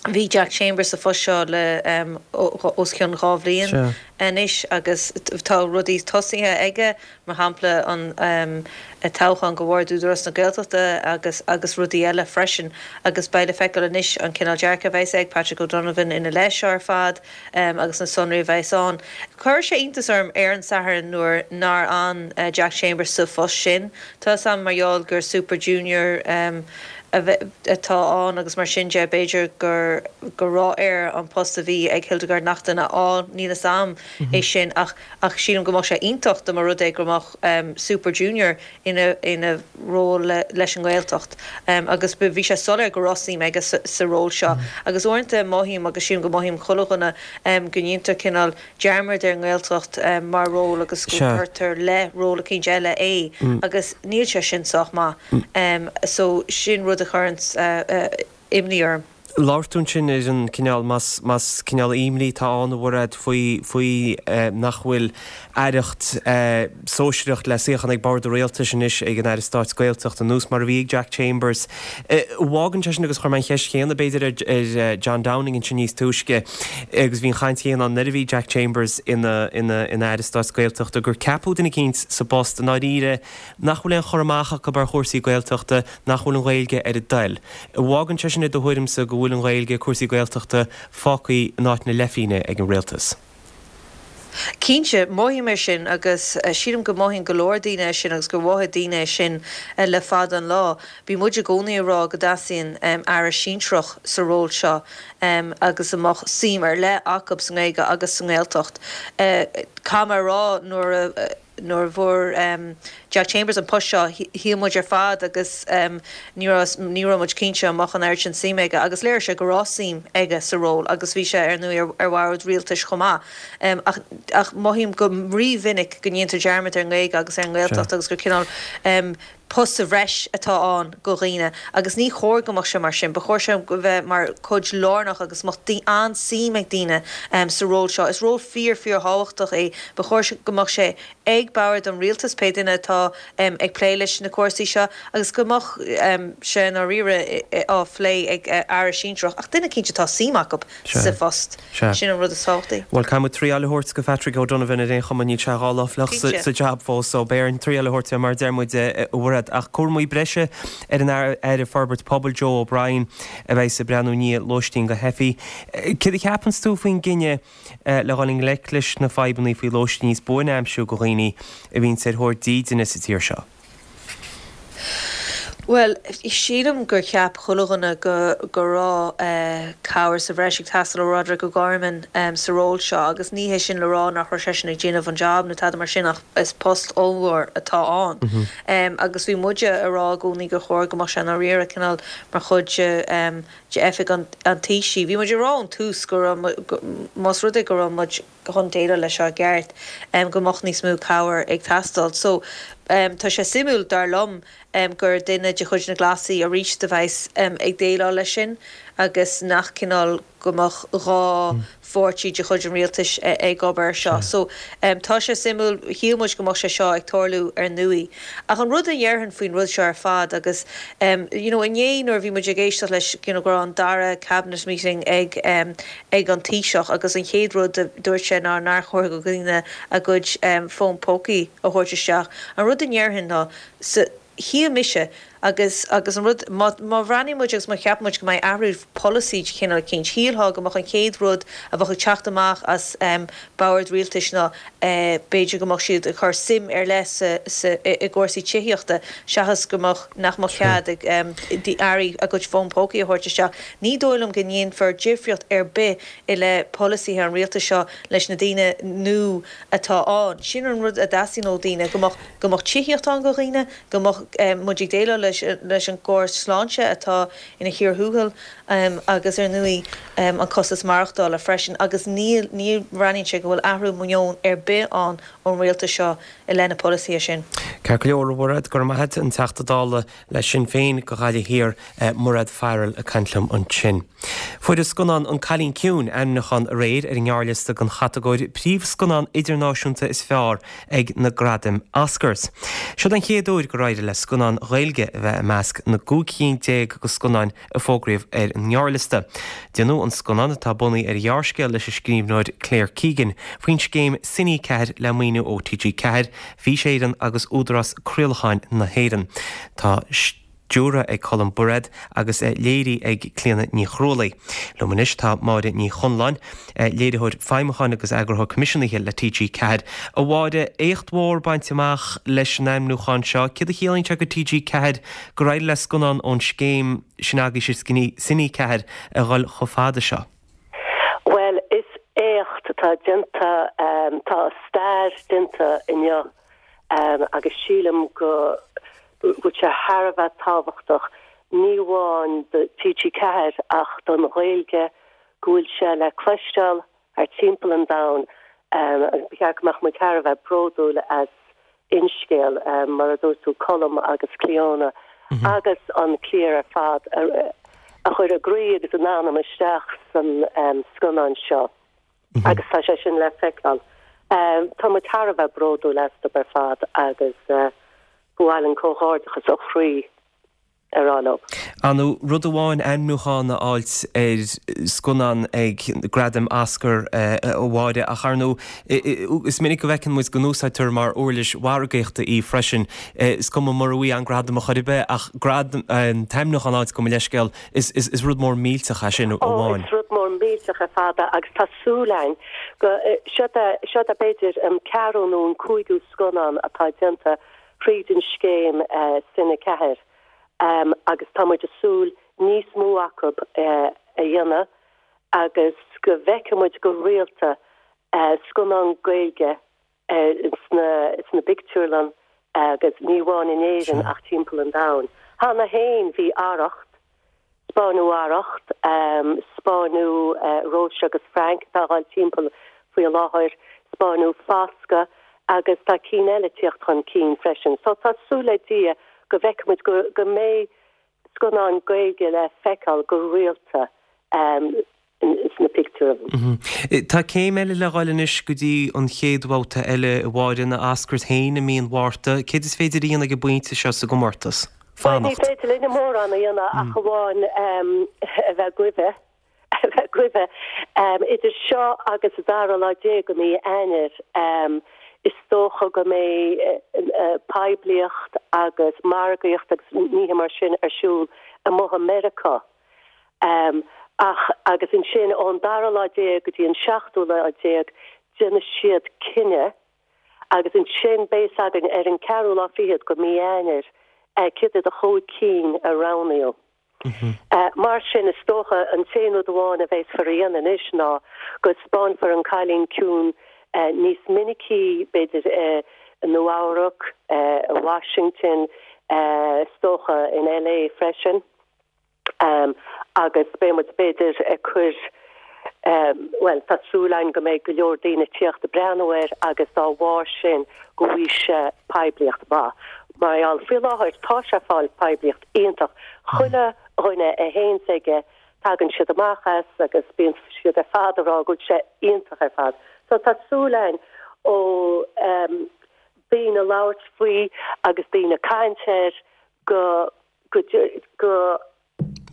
Bhí Jack Chambers sa phost seo le um, os cionn dhá bhliain anois agus tá rudaí tosaithe aige mar shampla an um, toghchán do bhord Údarás na Gaeltachta agus agus rudaí eile freisin agus beidh le feiceáil anois an cineál dearcadh a bheas ag Patrick O'Donovan ina leith seo ar fad um, agus na sonraí a bheas ann. Chuir sé iontas orm ar an Satharn nuair nár fhan uh, Jack Chambers sa phost sin Tá sam mar gheall gur Super Junior um, atá ann agus mar sin de b'fhéidir gur go raibh air an post a bhí ag Hildegard Naughton a fháil níl a fhios agam mm -hmm. é sin ach ach sílim go mbeadh sé iontach dá mba rud é go mbeadh um, Super Junior ina ina ról le, leis an nGaeltacht um, agus bhí sé soiléir go raibh suim aige sa, sa ról seo mm -hmm. agus uaireanta mothaím agus sílim go mothaíonn chuile dhuine um, go ndéantar cineál dearmad ar an nGaeltacht um, mar ról agus go gcuirtear le ról eicínt eile é mm. agus níl sé sin sách maith mm. um, so sin rud a chuireann uh, uh, imní orm. Labhair tú ansin ar an cineál más más cineál imní tá ann a Mhairéad faoi faoi eh, nach bhfuil aireacht eh, sóisearach le suíochán ag bord an rialtais anois ag an Aire Stáit Gaeltacht ar nós mar a bhí ag Jack Chambers. Eh, bhágann sé sin agus chuir mé an cheist chéanna b'fhéidir ar, ar eh, John Downing ansin níos túisce agus bhí an chaint chéanna ann nuair a bhí Jack Chambers ina ina ina Aire Stáit Gaeltachta gur ceapadh duine eicínt sa bpost i ndáiríre nach bhfuil aon chur amach acu ar chúrsaí Gaeltachta nach bhfuil an Ghaeilge ar a dtoil. Bhágann sé sin i do thuairimse go bhfuil an Ghaeilge cúrsaí Gaeltachta fágtha in áit na leithphingne ag an rialtas. Cinnte, mothaím é sin agus sílim go mothaíonn go leor daoine é sin agus gur mhothaigh daoine é sin le fada an lá. Bhí muid i gcónaí ag rá go dteastaíonn aire sinsearach sa ról seo agus a mbeadh suim ar leith acu sa nGaeilge agus sa nGaeltacht. Caithfidh mé a rá nuair a nuair a fuair Jack Chambers an post seo, shíl muid ar fad agus ní raibh ní raibh muid cinnte an mbeadh an oiread sin suim aige agus léirigh sé go raibh suim aige sa ról agus bhí sé ar ndóigh ar bhord rialtais chomh maith. Ach ach mothaím go rímhinic go ndéantar dearmad ar an nGaeilge agus ar an nGaeltacht agus gur cineál post sa bhreis atá ann go dhaoine agus ní chóir go mbeadh sé mar sin. Ba chóir sé bheith mar chuid lárnach agus mbeadh an-suim ag daoine sa ról seo. Is ról fíor fíor thábhachtach é. Ba chóir go mbeadh sé ag bord an rialtais pé duine atá ag plé leis na cúrsaí seo agus go mbeadh sé i ndáiríre á phlé ag aire sinsearach ach duine cinnte atá suim acu sa phost. Sin an rud is tábhachtaí. Bhuel, caithfidh muid triail a thabhairt go Patrick O'Donovan ar aon chuma níl sé dhá lá fliuch sa jab fós so beidh orainn triail a thabhairt mar deir muid a Mhairéad. Ach cúramaí breise ar an Aire Forbairt Pobail Joe O'Brien a bheidh ag breathnú i ndiaidh lóistín go theifigh. Céard a cheapanns tú faoin gcinneadh le dhul i ngleic leis na fadhbanna faoi lóistín níos buaine a aimsiú go dhaoine a bhíonns ar thóir dídine sa tír seo? Bhuel, sílim gur cheap chuile dhuine go go raibh cabhair sa bhreis ag teastáil ó Roderic O'Gorman sa ról seo agus ní hé sin le rá nach raibh seisean ag déanamh an job nó tada mar sin ach is post ollmhór atá ann. Agus bhí muide ag rá i gcónaí gur chóir go mbeadh sé i ndáiríre cineál mar chuid de oifig an Taoisigh. Bhí muid ag rá ón tús go raibh, más rud é go raibh muid chun déileáil leis seo i gceart, go mbeadh níos mó cabhair ag teastáil. So tá sé suimiúil, dar liom, gur duine de chuid na Glasaí arís a bheas ag déileáil leis sin agus nach cineál go mbeadh dhá pháirtí de chuid an rialtais ag obair air seo. So tá sé suimiúil, shíl muid go mbeadh sé seo ag tarlú ar ndóigh. Ach an rud a dhéarfainn faoin rud seo ar fad agus you know inné nuair a bhí muid ag éisteacht leis you know go raibh an dara cabinet meeting ag ag an Taoiseach agus an chéad rud a dúirt sé ná nár chóir go dhaoine a gcuid fón pócaí a thabhairt isteach. An rud a ndéarfainn ná sa shíl mise agus agus an rud má má bhreathnaíonn muid agus má cheapann muid go mbeidh athrú polasaí de chineál eicínt, shílfeá go mbeadh an chéad rud a bheadh ag teacht amach as bord rialtais ná b'fhéidir go mbeadh siad ag cur suim ar leith sa sa i gcúrsaí tithíochta seachas go mbeadh nach mbeadh cead ag airí a gcuid fón pócaí a thabhairt isteach. Ní dóigh liom go ndéanfar difríocht ar bith i leith polasaithe an rialtais seo leis na daoine nua atá ann. Sin an rud a dteastaíonn ó dhaoine, go mbeadh go mbeadh tithíocht ann go dhaoine, go mbeadh muid ag déileáil leis leis an gcóras sláinte atá ina chíor thuathail agus ar ndóigh an costas maireachtála freisin agus níl ní bhreathnaíonn sé go bhfuil athrú meoin ar bith ann ón rialtas seo i leith na polasaithe sin. Ceart go leor, a Mhairéad, go raibh maith agat, an Teachta Dála le Sinn Féin go Ghaillimh Thiar, Mairéad Farrell ag caint liom ansin. Fuair an scannán An Cailín Ciúin ainmniúchán aréir ar an ngearrliosta don chatagóir Príomhscannán Idirnáisiúnta is Fearr ag na Gradaim Oscars. Seod an chéad uair gur éirigh le scannán Ghaeilge a bheith i measc na gcúig cinn déag de scannáin a fógraíodh ar an ngearrliosta. Déanadh an scannán, atá bunaithe ar ghearrscéal leis an scríbhneoir Claire Keegan, faoin scéim Cine ceathair le maoiniú ó T G ceathair, Fís Éireann agus Údarás Craolacháin na hÉireann. Tá stiúrtha ag Colm Bairéad agus léirithe ag Clíona Ní Chrualaoi. Liom anois tá Máire Ní Chonláin, léiritheoir feidhmiúcháin agus eagarthóir coimisiúnaithe le T G ceathair. A Mháire, éacht mhór bainte amach leis an ainmniúchán seo. Céard a chiallaíonn sé go T G ceathair gur éirigh le scannán ón scéim sin agaibhse Cine ceathair a dhul chomh fada seo? Bhuel, is éacht atá déanta, tá stair déanta inniu agus sílim go bhfuil sé thar a bheith tábhachtach, ní amháin do T G ceathair ach don Ghaeilge, go bhfuil sé le cloisteáil thar timpeall an domhain agus ba cheart go mbeadh muid thar a bheith bródúil as Fhinscéal, mar a dúirt tú, Colm agus Clíona agus an cliar ar fad a chuir a gcroí agus a n-anam isteach san scannán seo agus tá sé sin le feiceáil. Tá muid thar a bheith bródúil astu ar fad agus ba mhaith linn comhghairdeachas ó chroí a rá leo. Ar ndóigh, rud amháin ainmniúchán a fháilt ar scannán ag Gradaim Oscar a Mháire, ach ar ndóigh, is minic go bhfeiceann muid go n-úsáidtear mar uirlis mhargaíochta í freisin. Is cuma mura bhfaighidh an gradam ar chor ar bith, ach gradam, an t-ainmniúchán a fháilt gabh mo leithscéal, is is rud mór millteach é sin Ó, amháin. is rud mór millteach ar fad é agus tá súil againn go, seo é, seo é b'fhéidir an ceathrú nó an cúigiú scannán atá déanta thríd an scéim Cine ceathair agus tá muid ag súil níos mó acu a dhéanamh agus go bhfeicfidh muid go rialta scannán Gaeilge sna sna pictiúrlann agus ní amháin in Éirinn ach timpeall an domhain. Cheana féin bhí Arracht, 'Spáineadh Arracht, 'spáineadh Róise agus Frank atá ag dul timpeall faoi láthair, 'spáineadh Foscadh agus tá cinn eile ag tíocht chun cinn freisin. So tá súil le Dia go bhfeicfidh muid go go mbeidh scannáin Gaeilge le feiceáil go rialta sna pictiúrlanna. Tá céim eile le dhul anois go dtí an chéad bhabhta eile a Mháire, na Oscars féin i mí an Mhárta. Céard is féidir a dhéanamh ag an bpointe seo sa gcomórtas? Bhuel, ní Fanacht. féidir linne mórán a dhéanamh ach amháin a bheith ag a bheith ag guí. Idir seo agus an dara lá déag de mhí Eanáir, is dócha go mbeidh poiblíocht agus margaíocht agus nithe mar sin ar siúl amuigh i Meiriceá. Ach agus ansin ón dara lá déag go dtí an seachtú lá déag, déanfaidh siad cinneadh agus ansin beidh a fhios againn ar an ceathrú lá fichead de mhí Eanáir cad iad a chúig cinn a roghnaíodh. Mar sin, is dócha, an t-aon rud amháin a bheifear a dhéanamh anois ná go 'spáinfear An Cailín Ciúin níos minicí, b'fhéidir i Nua-Eabhrac, i Washington, is dócha in LA freisin, agus beidh muid, b'fhéidir, ag cur, bhuel, tá súil againn go mbeidh go leor daoine ag tíocht ag breathnú air agus dá bharr sin go bhfaighidh sé poiblíocht mhaith. Mar gheall, faoi láthair tá sé ag fáil poiblíocht iontach. Chuile dhuine a théanns aige tagann siad amach as agus bíonn siad ar fad ag rá go bhfuil sé iontach ar fad. So tá súil againn ó daoine labhairt faoi agus daoine caint air go go go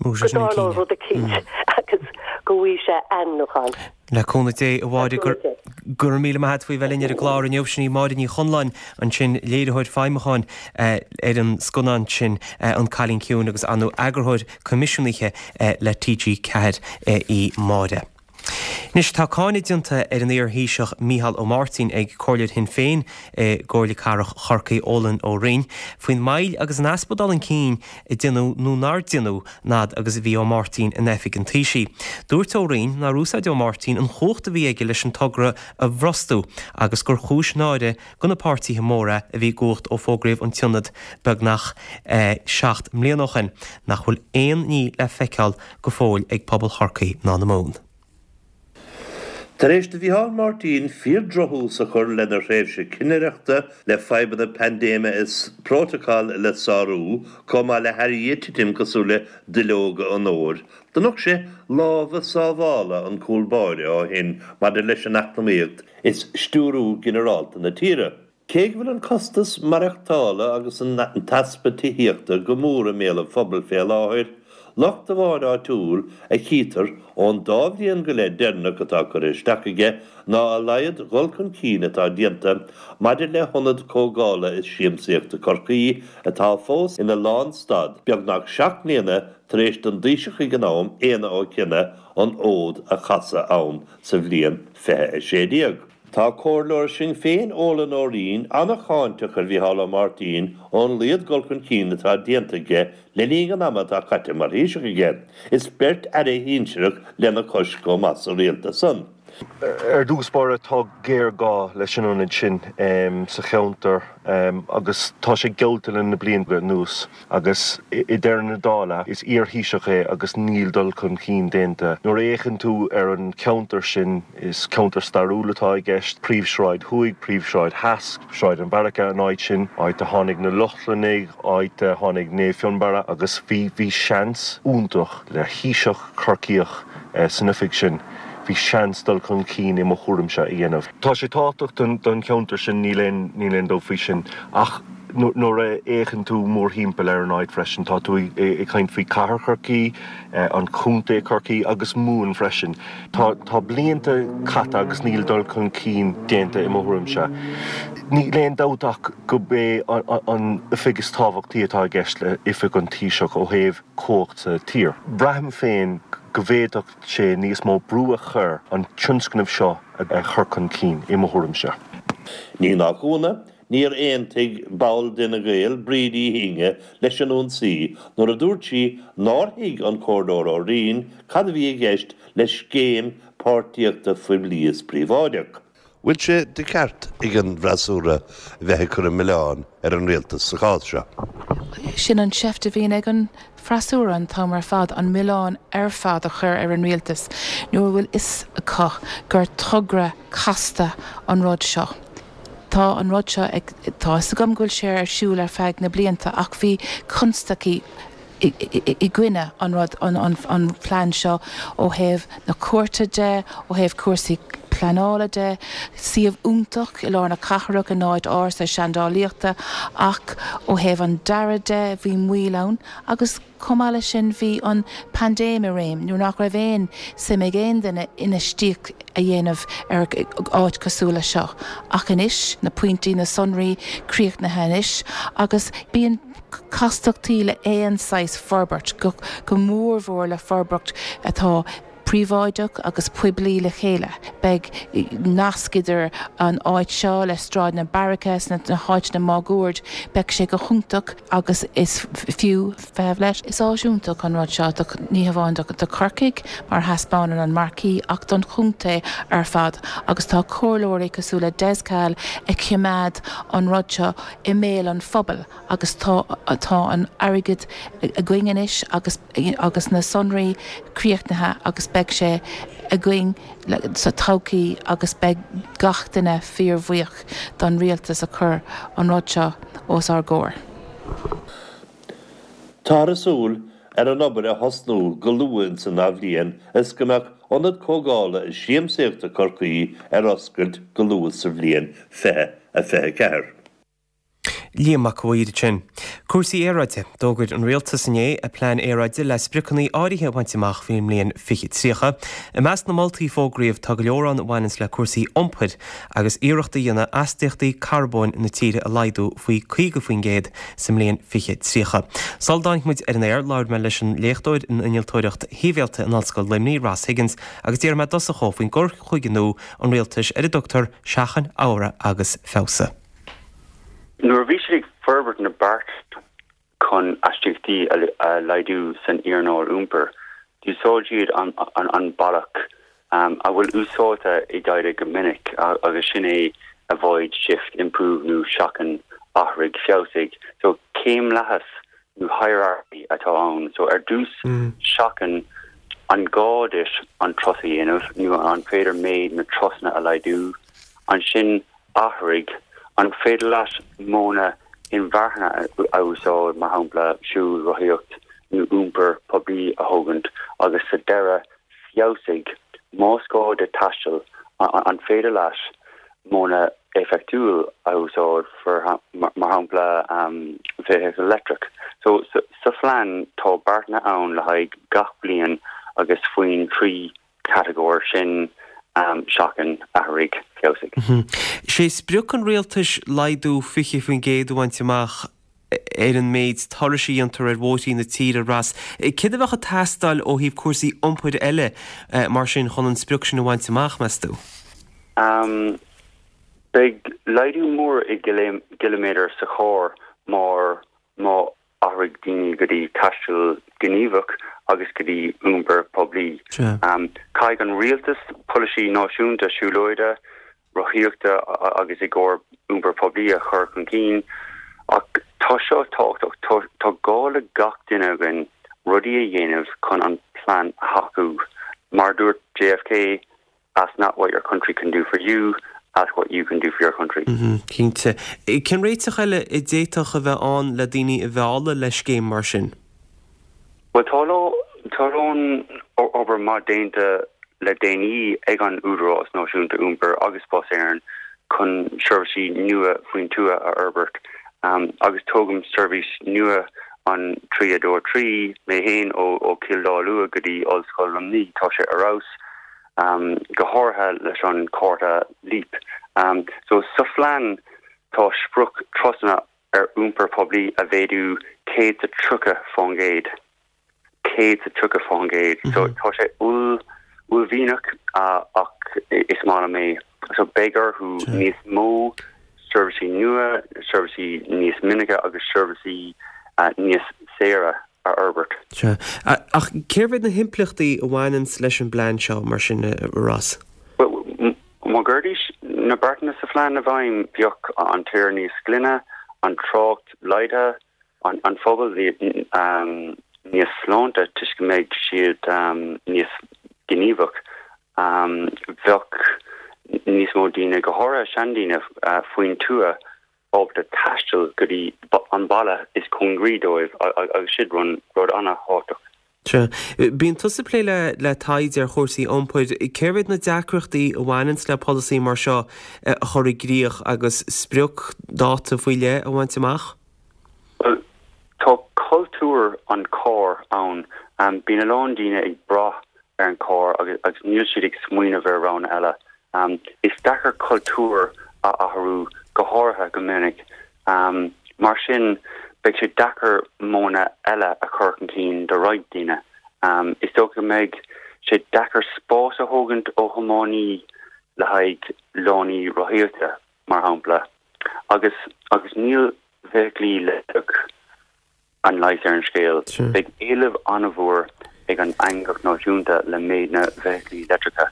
go dtarlóidh rud eicínt agus go bhfaighidh sé ainmniúchán. Le cúnamh Dé, a Mháire, go raibh míle maith agat faoi bheith linn ar an gclár inniu. Sin í Máire Ní Chonláin ansin, léiritheoir feidhmiúcháin ar an scannán sin An Cailín Ciúin agus ar ndóigh eagarthóir coimisiúnaithe le T G ceathair í Máire. Anois, tá cáineadh déanta ar an iar-Thaoiseach Micheál Ó Máirtín ag Comhairleoir Shinn Féin i gComhairle Cathrach Chorcaí, Eolann Ó Rinn, faoin moill agus an easpa dul chun cinn a deineadh nó nár deineadh an fhad agus a bhí Ó Máirtín in oifig an Taoisigh. Dúirt Ó Rinn nár úsáid Ó Máirtín an chumhacht a bhí aige leis an togra a bhrostú agus gur chúis náire do na páirtithe móra a bhí i gcumhacht ó fógraíodh an t-ionad beagnach seacht mbliana ó shin nach bhfuil aon ní le feiceáil go fóill ag pobal Chorcaí ná na Mumhan. Tar éis do Mhicheál Martin fíor-dhrochthús a chur lena thréimhse cinnireachta le fadhbanna paindéime is prótacal le sárú, chomh maith le hairí ag titim cosúil le duilleoga an fhómhair, do nocht sé lámha sábhála an cúl báire ó shin maidir leis an eacnamaíocht is stiúrú ginearálta na tíre. Cé go bhfuil an costas maireachtála agus an t-easpa tithíochta go mór i mbéal an phobail fé láthair, locht amháin áitiúil a chítear ón dá bhliain go leith deireanach atá curtha isteach aige ná a laghad dhul chun cinn atá déanta maidir le hIonad Comhdhála is Siamsaíochta Chorcaí atá fós ina lánstad beagnach seacht mbliana tar éis don dTaoiseach ag an am, Éanna Ó Cionnaith, an fhód a chasadh ann sa bhliain fiche a sé déag. Tá Comhairleoir Sinn Féin Eolann Ó Rinn an-cháinteach ar Mhicheál Ó Máirtín ón laghad dul chun cinn atá déanta aige le linn an ama atá caite mar Thaoiseach aige, is beirt aire shinsearach lena chois chomh maith sa rialtas san. Ar dtús báire tá géarghá leis an ionad sin sa cheantar agus tá sé geallta le na blianta anuas agus i ndeireadh na dála is iar-Thaoiseach é agus níl dul chun cinn déanta. Nuair a fhéachann tú ar an cheantar sin is ceantar stairiúil atá i gceist, Príomhshráid Thuaidh, Príomhshráid Theas, Sráid an Bheairice an áit sin, áit a tháinig na Lochlannaigh, áit a tháinig Naomh Fionnbarra agus bhí bhí seans iontach le Taoiseach Corcaíoch san oifig sin. Bhí seans dul chun cinn i mo thuairimse a dhéanamh. Tá sé tábhachtach don cheantar sin, níl aon níl aon dabht faoi sin, ach Nuair a fhéachann tú mórthimpeall ar an áit freisin, tá tú ag caint faoi Cathair Chorcaí, an Contae Corcaí agus Mumhan freisin. Tá tá blianta caite agus níl dul chun cinn déanta i mo thuairimse. Níl aon dabht ach gurb é an oifig is tábhachtaí atá i gceist le Oifig an Taoiseach ó thaobh cumhacht sa tír. Braithim féin go bhféadfadh sé níos mó brú a chur an tionscnamh seo a chur chun cinn, i mo thuairimse. Ní nach ionadh, níor aontaigh ball d'Fhine Gael, Bríd Uí hInge, leis an ionsaí nuair a dúirt sí nár thuig an Comhairleoir Ó Riain cad a bhí i gceist le scéim páirtíochta phoiblí is príobháideach. Bhfuil sé de cheart ag an bhfreasúra a bheith ag cur an milleáin ar an rialtas sa chás seo? Sin an tseift a bhíonn ag an bhfreasúra an t-am ar fad, an milleán ar fad a chur ar an rialtas nuair a bhfuil fhios acu gur togra casta an rud seo. Tá an rud seo ag, tá fhios agam go bhfuil sé ar siúl ar feadh na blianta ach bhí constaicí i gcoinne an rud, an phlean seo ó thaobh na cúirte de, ó thaobh cúrsaí pleanála de, suíomh iontach i lár na cathrach in áit ársa seandálaíochta ach ó thaobh an dearaidh de bhí moill ann agus chomh maith leis sin bhí an paindéim i réim nuair nach raibh aon suim ag aon duine infheistíocht a dhéanamh ar áit cosúil le seo. Ach anois, na pointí, na sonraí críochnaithe anois agus bíonn castachtaí le aon saghas forbairt, go mórmhór le forbairt atá príobháideach agus poiblí le chéile. Beidh nasc idir an áit seo le Sráid na Beairice sna háiteanna máguaird. Beidh sé go hiontach agus is fiú feitheamh leis. Is áis iontach an rud seo do, ní hamháin do Chorcaigh mar thaispeánann an marquee ach don chontae ar fad agus tá comhairleoirí cosúil le Des Cahill ag coimeád an rud seo i mbéal an phobail agus tá tá an airgead againn anois agus agus na sonraí críochnaithe agus beidh sé againn sa todhchaí agus beidh gach duine fíorbhuíoch don rialtas a chuir an rud seo os ár gcomhair. Táthar ag súil ar an obair a thosnú go luath ins an athbhliain is go mbeadh Ionad Comhdhála is Siamsaíochta Chorcaí ar oscailt go luath sa bhliain fiche a fiche ceathair. Liam Mac a' Mhaoir ansin. Cúrsaí aeráide. D'fhógair an Rialtas inné a plean aeráide le spriocanna áirithe a bhaint amach faoin mbliain fiche tríocha. I measc na moltaí a fógraíodh tá go leor ann a bhaineanns le cúrsaí iompair agus iarracht a dhéanamh astaíochtaí carbóin na tíre a laghdú faoi caoga faoin gcéad sa mbliain fiche tríocha. Sula dtáinig muid ar an aer labhair mé leis an léachtóir in innealtóireacht shibhialta in Ollscoil Luimnigh, Ross Higgins, agus d'iarr mé i dtosach dhó faoin gcur chuige nua an rialtais ar a dtugtar seachain, athraigh agus feabhsaigh. Nuair a bhí siad ag forbairt na beart chun astaíochtaí a laghdú san earnáil iompair, d'úsáid siad an bealach a bhfuil úsáidte i dtaighde go minic agus sin é avoid, shift, improve nó seachain, athraigh, feabhsaigh. So céimlathas nó hierarchy atá ann. So ar dtús seachain an gá duit an turas a dhéanamh nó an féidir méid na turasanna a laghdú, ansin Athraigh, An féidir leat modhanna inmharthana a úsáid, mar shampla siúl, rothaíocht nó iompar poiblí a thógaint, agus sa deireadh, feabhsaigh, más gá duit taisteal, an féidir leat modhanna éifeachtúil a úsáid, mar shampla feithicil leictreach. So, sa phlean tá beartanna ann le haghaidh gach bliain agus faoin trí chatagóir sin, seachain, athraigh, feabhsaigh. Is é sprioc an rialtais laghdú fiche faoin gcéad a bhaint amach ar an méid turais a dhéantar ar bhóithrí na tíre, Ross. Céard a bheadh ag teastáil ó thaobh cúrsaí iompair eile mar sin chun an sprioc sin a bhaint amach, meas tú? Beidh laghdú mór i gciliméadair sa charr mar má athraigh daoine go dtí taisteal gníomhach agus go dtí iompar poiblí. Caithfidh an rialtas polasaí náisiúnta siúlóide, rothaíochta agus i gcomhair iompar poiblí a chur chun cinn. Ach tá seo tábhachtach, tá gá le gach duine againn rudaí a dhéanamh chun an plean a thacú. Mar a dúirt JFK, Ask not what your country can do for you, ask what you can do for your country. Cinnte. Cén réiteach eile a d'fhéadfadh a bheith ann le daoine a mhealladh le scéim mar sin? Bhuel, tá tá a lán obair maith déanta le déanaí ag an Údarás Náisiúnta Iompair agus Bus Éireann chun seirbhísí nua faoin tuath a fhorbairt. Agus tógaim seirbhís nua an trí a dó a trí mé féin ó ó Chill Dá Lua go dtí Ollscoil Luimnigh, tá sé ar fheabhas, go háirithe leis an cárta Leap. So sa phlean tá sprioc turasanna ar iompar poiblí a mhéadú céad is tríocha faoin gcéad. céad is tríocha faoin gcéad. So tá sé uaillmhianach ach is maith liom é. So beidh orthu níos mó seirbhísí nua, seirbhísí níos minice agus seirbhísí níos saoire a fhorbairt. Sea. Ach cérbh iad na himpleachtaí a bhaineanns leis an bplean seo, mar sin, a Ross? Bhuel, má gcuirdís na beartanna sa phlean i bhfeidhm, bheadh an tír níos glaine, an trácht laghdaithe, an phobal níos sláinte toisc go mbeidh siad níos gníomhach. Bheadh níos mó daoine, go háirithe seandaoine faoin tuath, ábalta taisteal go dtí an baile is cóngaraí dóibh agus sin rud an-thábhachtach. Sea. Bíonn tusa ag plé le taighde ar chúrsaí iompair. Cérbh iad na deacrachtaí a bhaineanns le polasaí mar seo a chur i gcrích agus sprioc dáta faoi leith a bhaint amach? Bhuel, tá cultúr an chairr ann. Bíonn a lán daoine ag brath ar an charr agus níl siad ag smaoineamh ar roghanna eile. Is deacair cultúr a athrú, go háirithe go minic. Mar sin, beidh sé deacair modhanna eile a chur chun cinn do roinnt daoine. Is dócha go mbeidh sé deacair spás a thógaint ó thiománaí le haghaidh lánaí rothaíochta, mar shampla, agus agus níl feithiclí leictreach an leigheas ar an scéal. Beidh éileamh an-mhór ag an eangach náisiúnta le méid na bhfeithiclí leictreacha.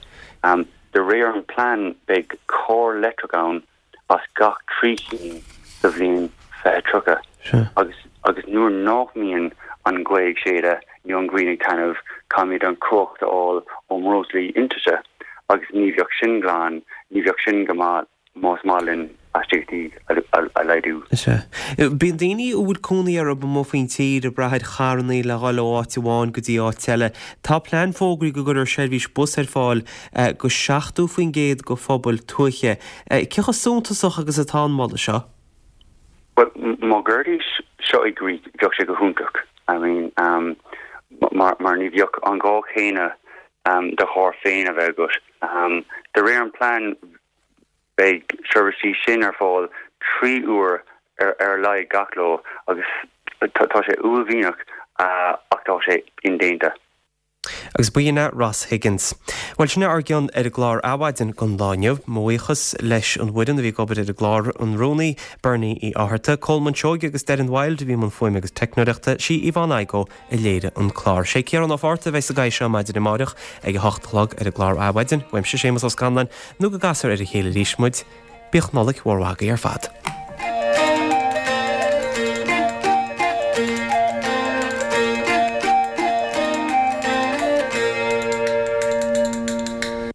De réir an plean beidh carr leictreach ann as gach trí chinn sa bhliain fiche tríocha. Agus agus nuair nach mbíonn an ghaoth ag séideadh nó an ghrian ag taitneamh caithfimid an chumhacht a fháil ó mbreoslaí iontaise agus ní bheadh sin glan, ní bheadh sin go maith más maith linn astaíochtaí a laghdú. Sea. Bíonn daoine a bhfuil cónaí orthu amuigh faoin tír ag brath ar charrannaí le dhul ó áit amháin go dtí áit eile. Tá plean fógraithe go gcuirfear seirbhís bus ar fáil go seachtó faoin gcéad de phobail tuaithe. Cé chomh suntasach agus atá an moladh seo? Bhuel, má gcuirdís seo i gcrích, bheadh sé go hiontach. I mean, mar mar ní bheadh an gá chéanna do charr féin a bheith agat. De réir an plean, Beidh seirbhísí sin ar fáil trí uair ar a laghad gach lá agus tá sé uaillmhianach ach tá sé indéanta. Agus b'in é Ross Higgins. Bhuel, sin é ár gcion ar an gclár Adhmhaidin don lá inniu. Mo bhuíochas leis an bhfoireann a bhí ag obair ar an gclár, an rúnaí, Bernie Uí Fhátharta, Colman Seoighe agus Darren Wilde a bhí i mbun fuaime agus teicneoireachta, sí Yvonne Igoe a léirigh an clár. Sé Ciarán Ó Fátharta a bheidh sa gcathaoir seo maidin amáireach ag a hocht a chlog ar an gclár Adhmhaidin. Uaimse Séamus Ó Scanláin, nó go gcasfar ar a chéile arís muid, bíodh Nollaig mhór mhaith agaibh ar fad.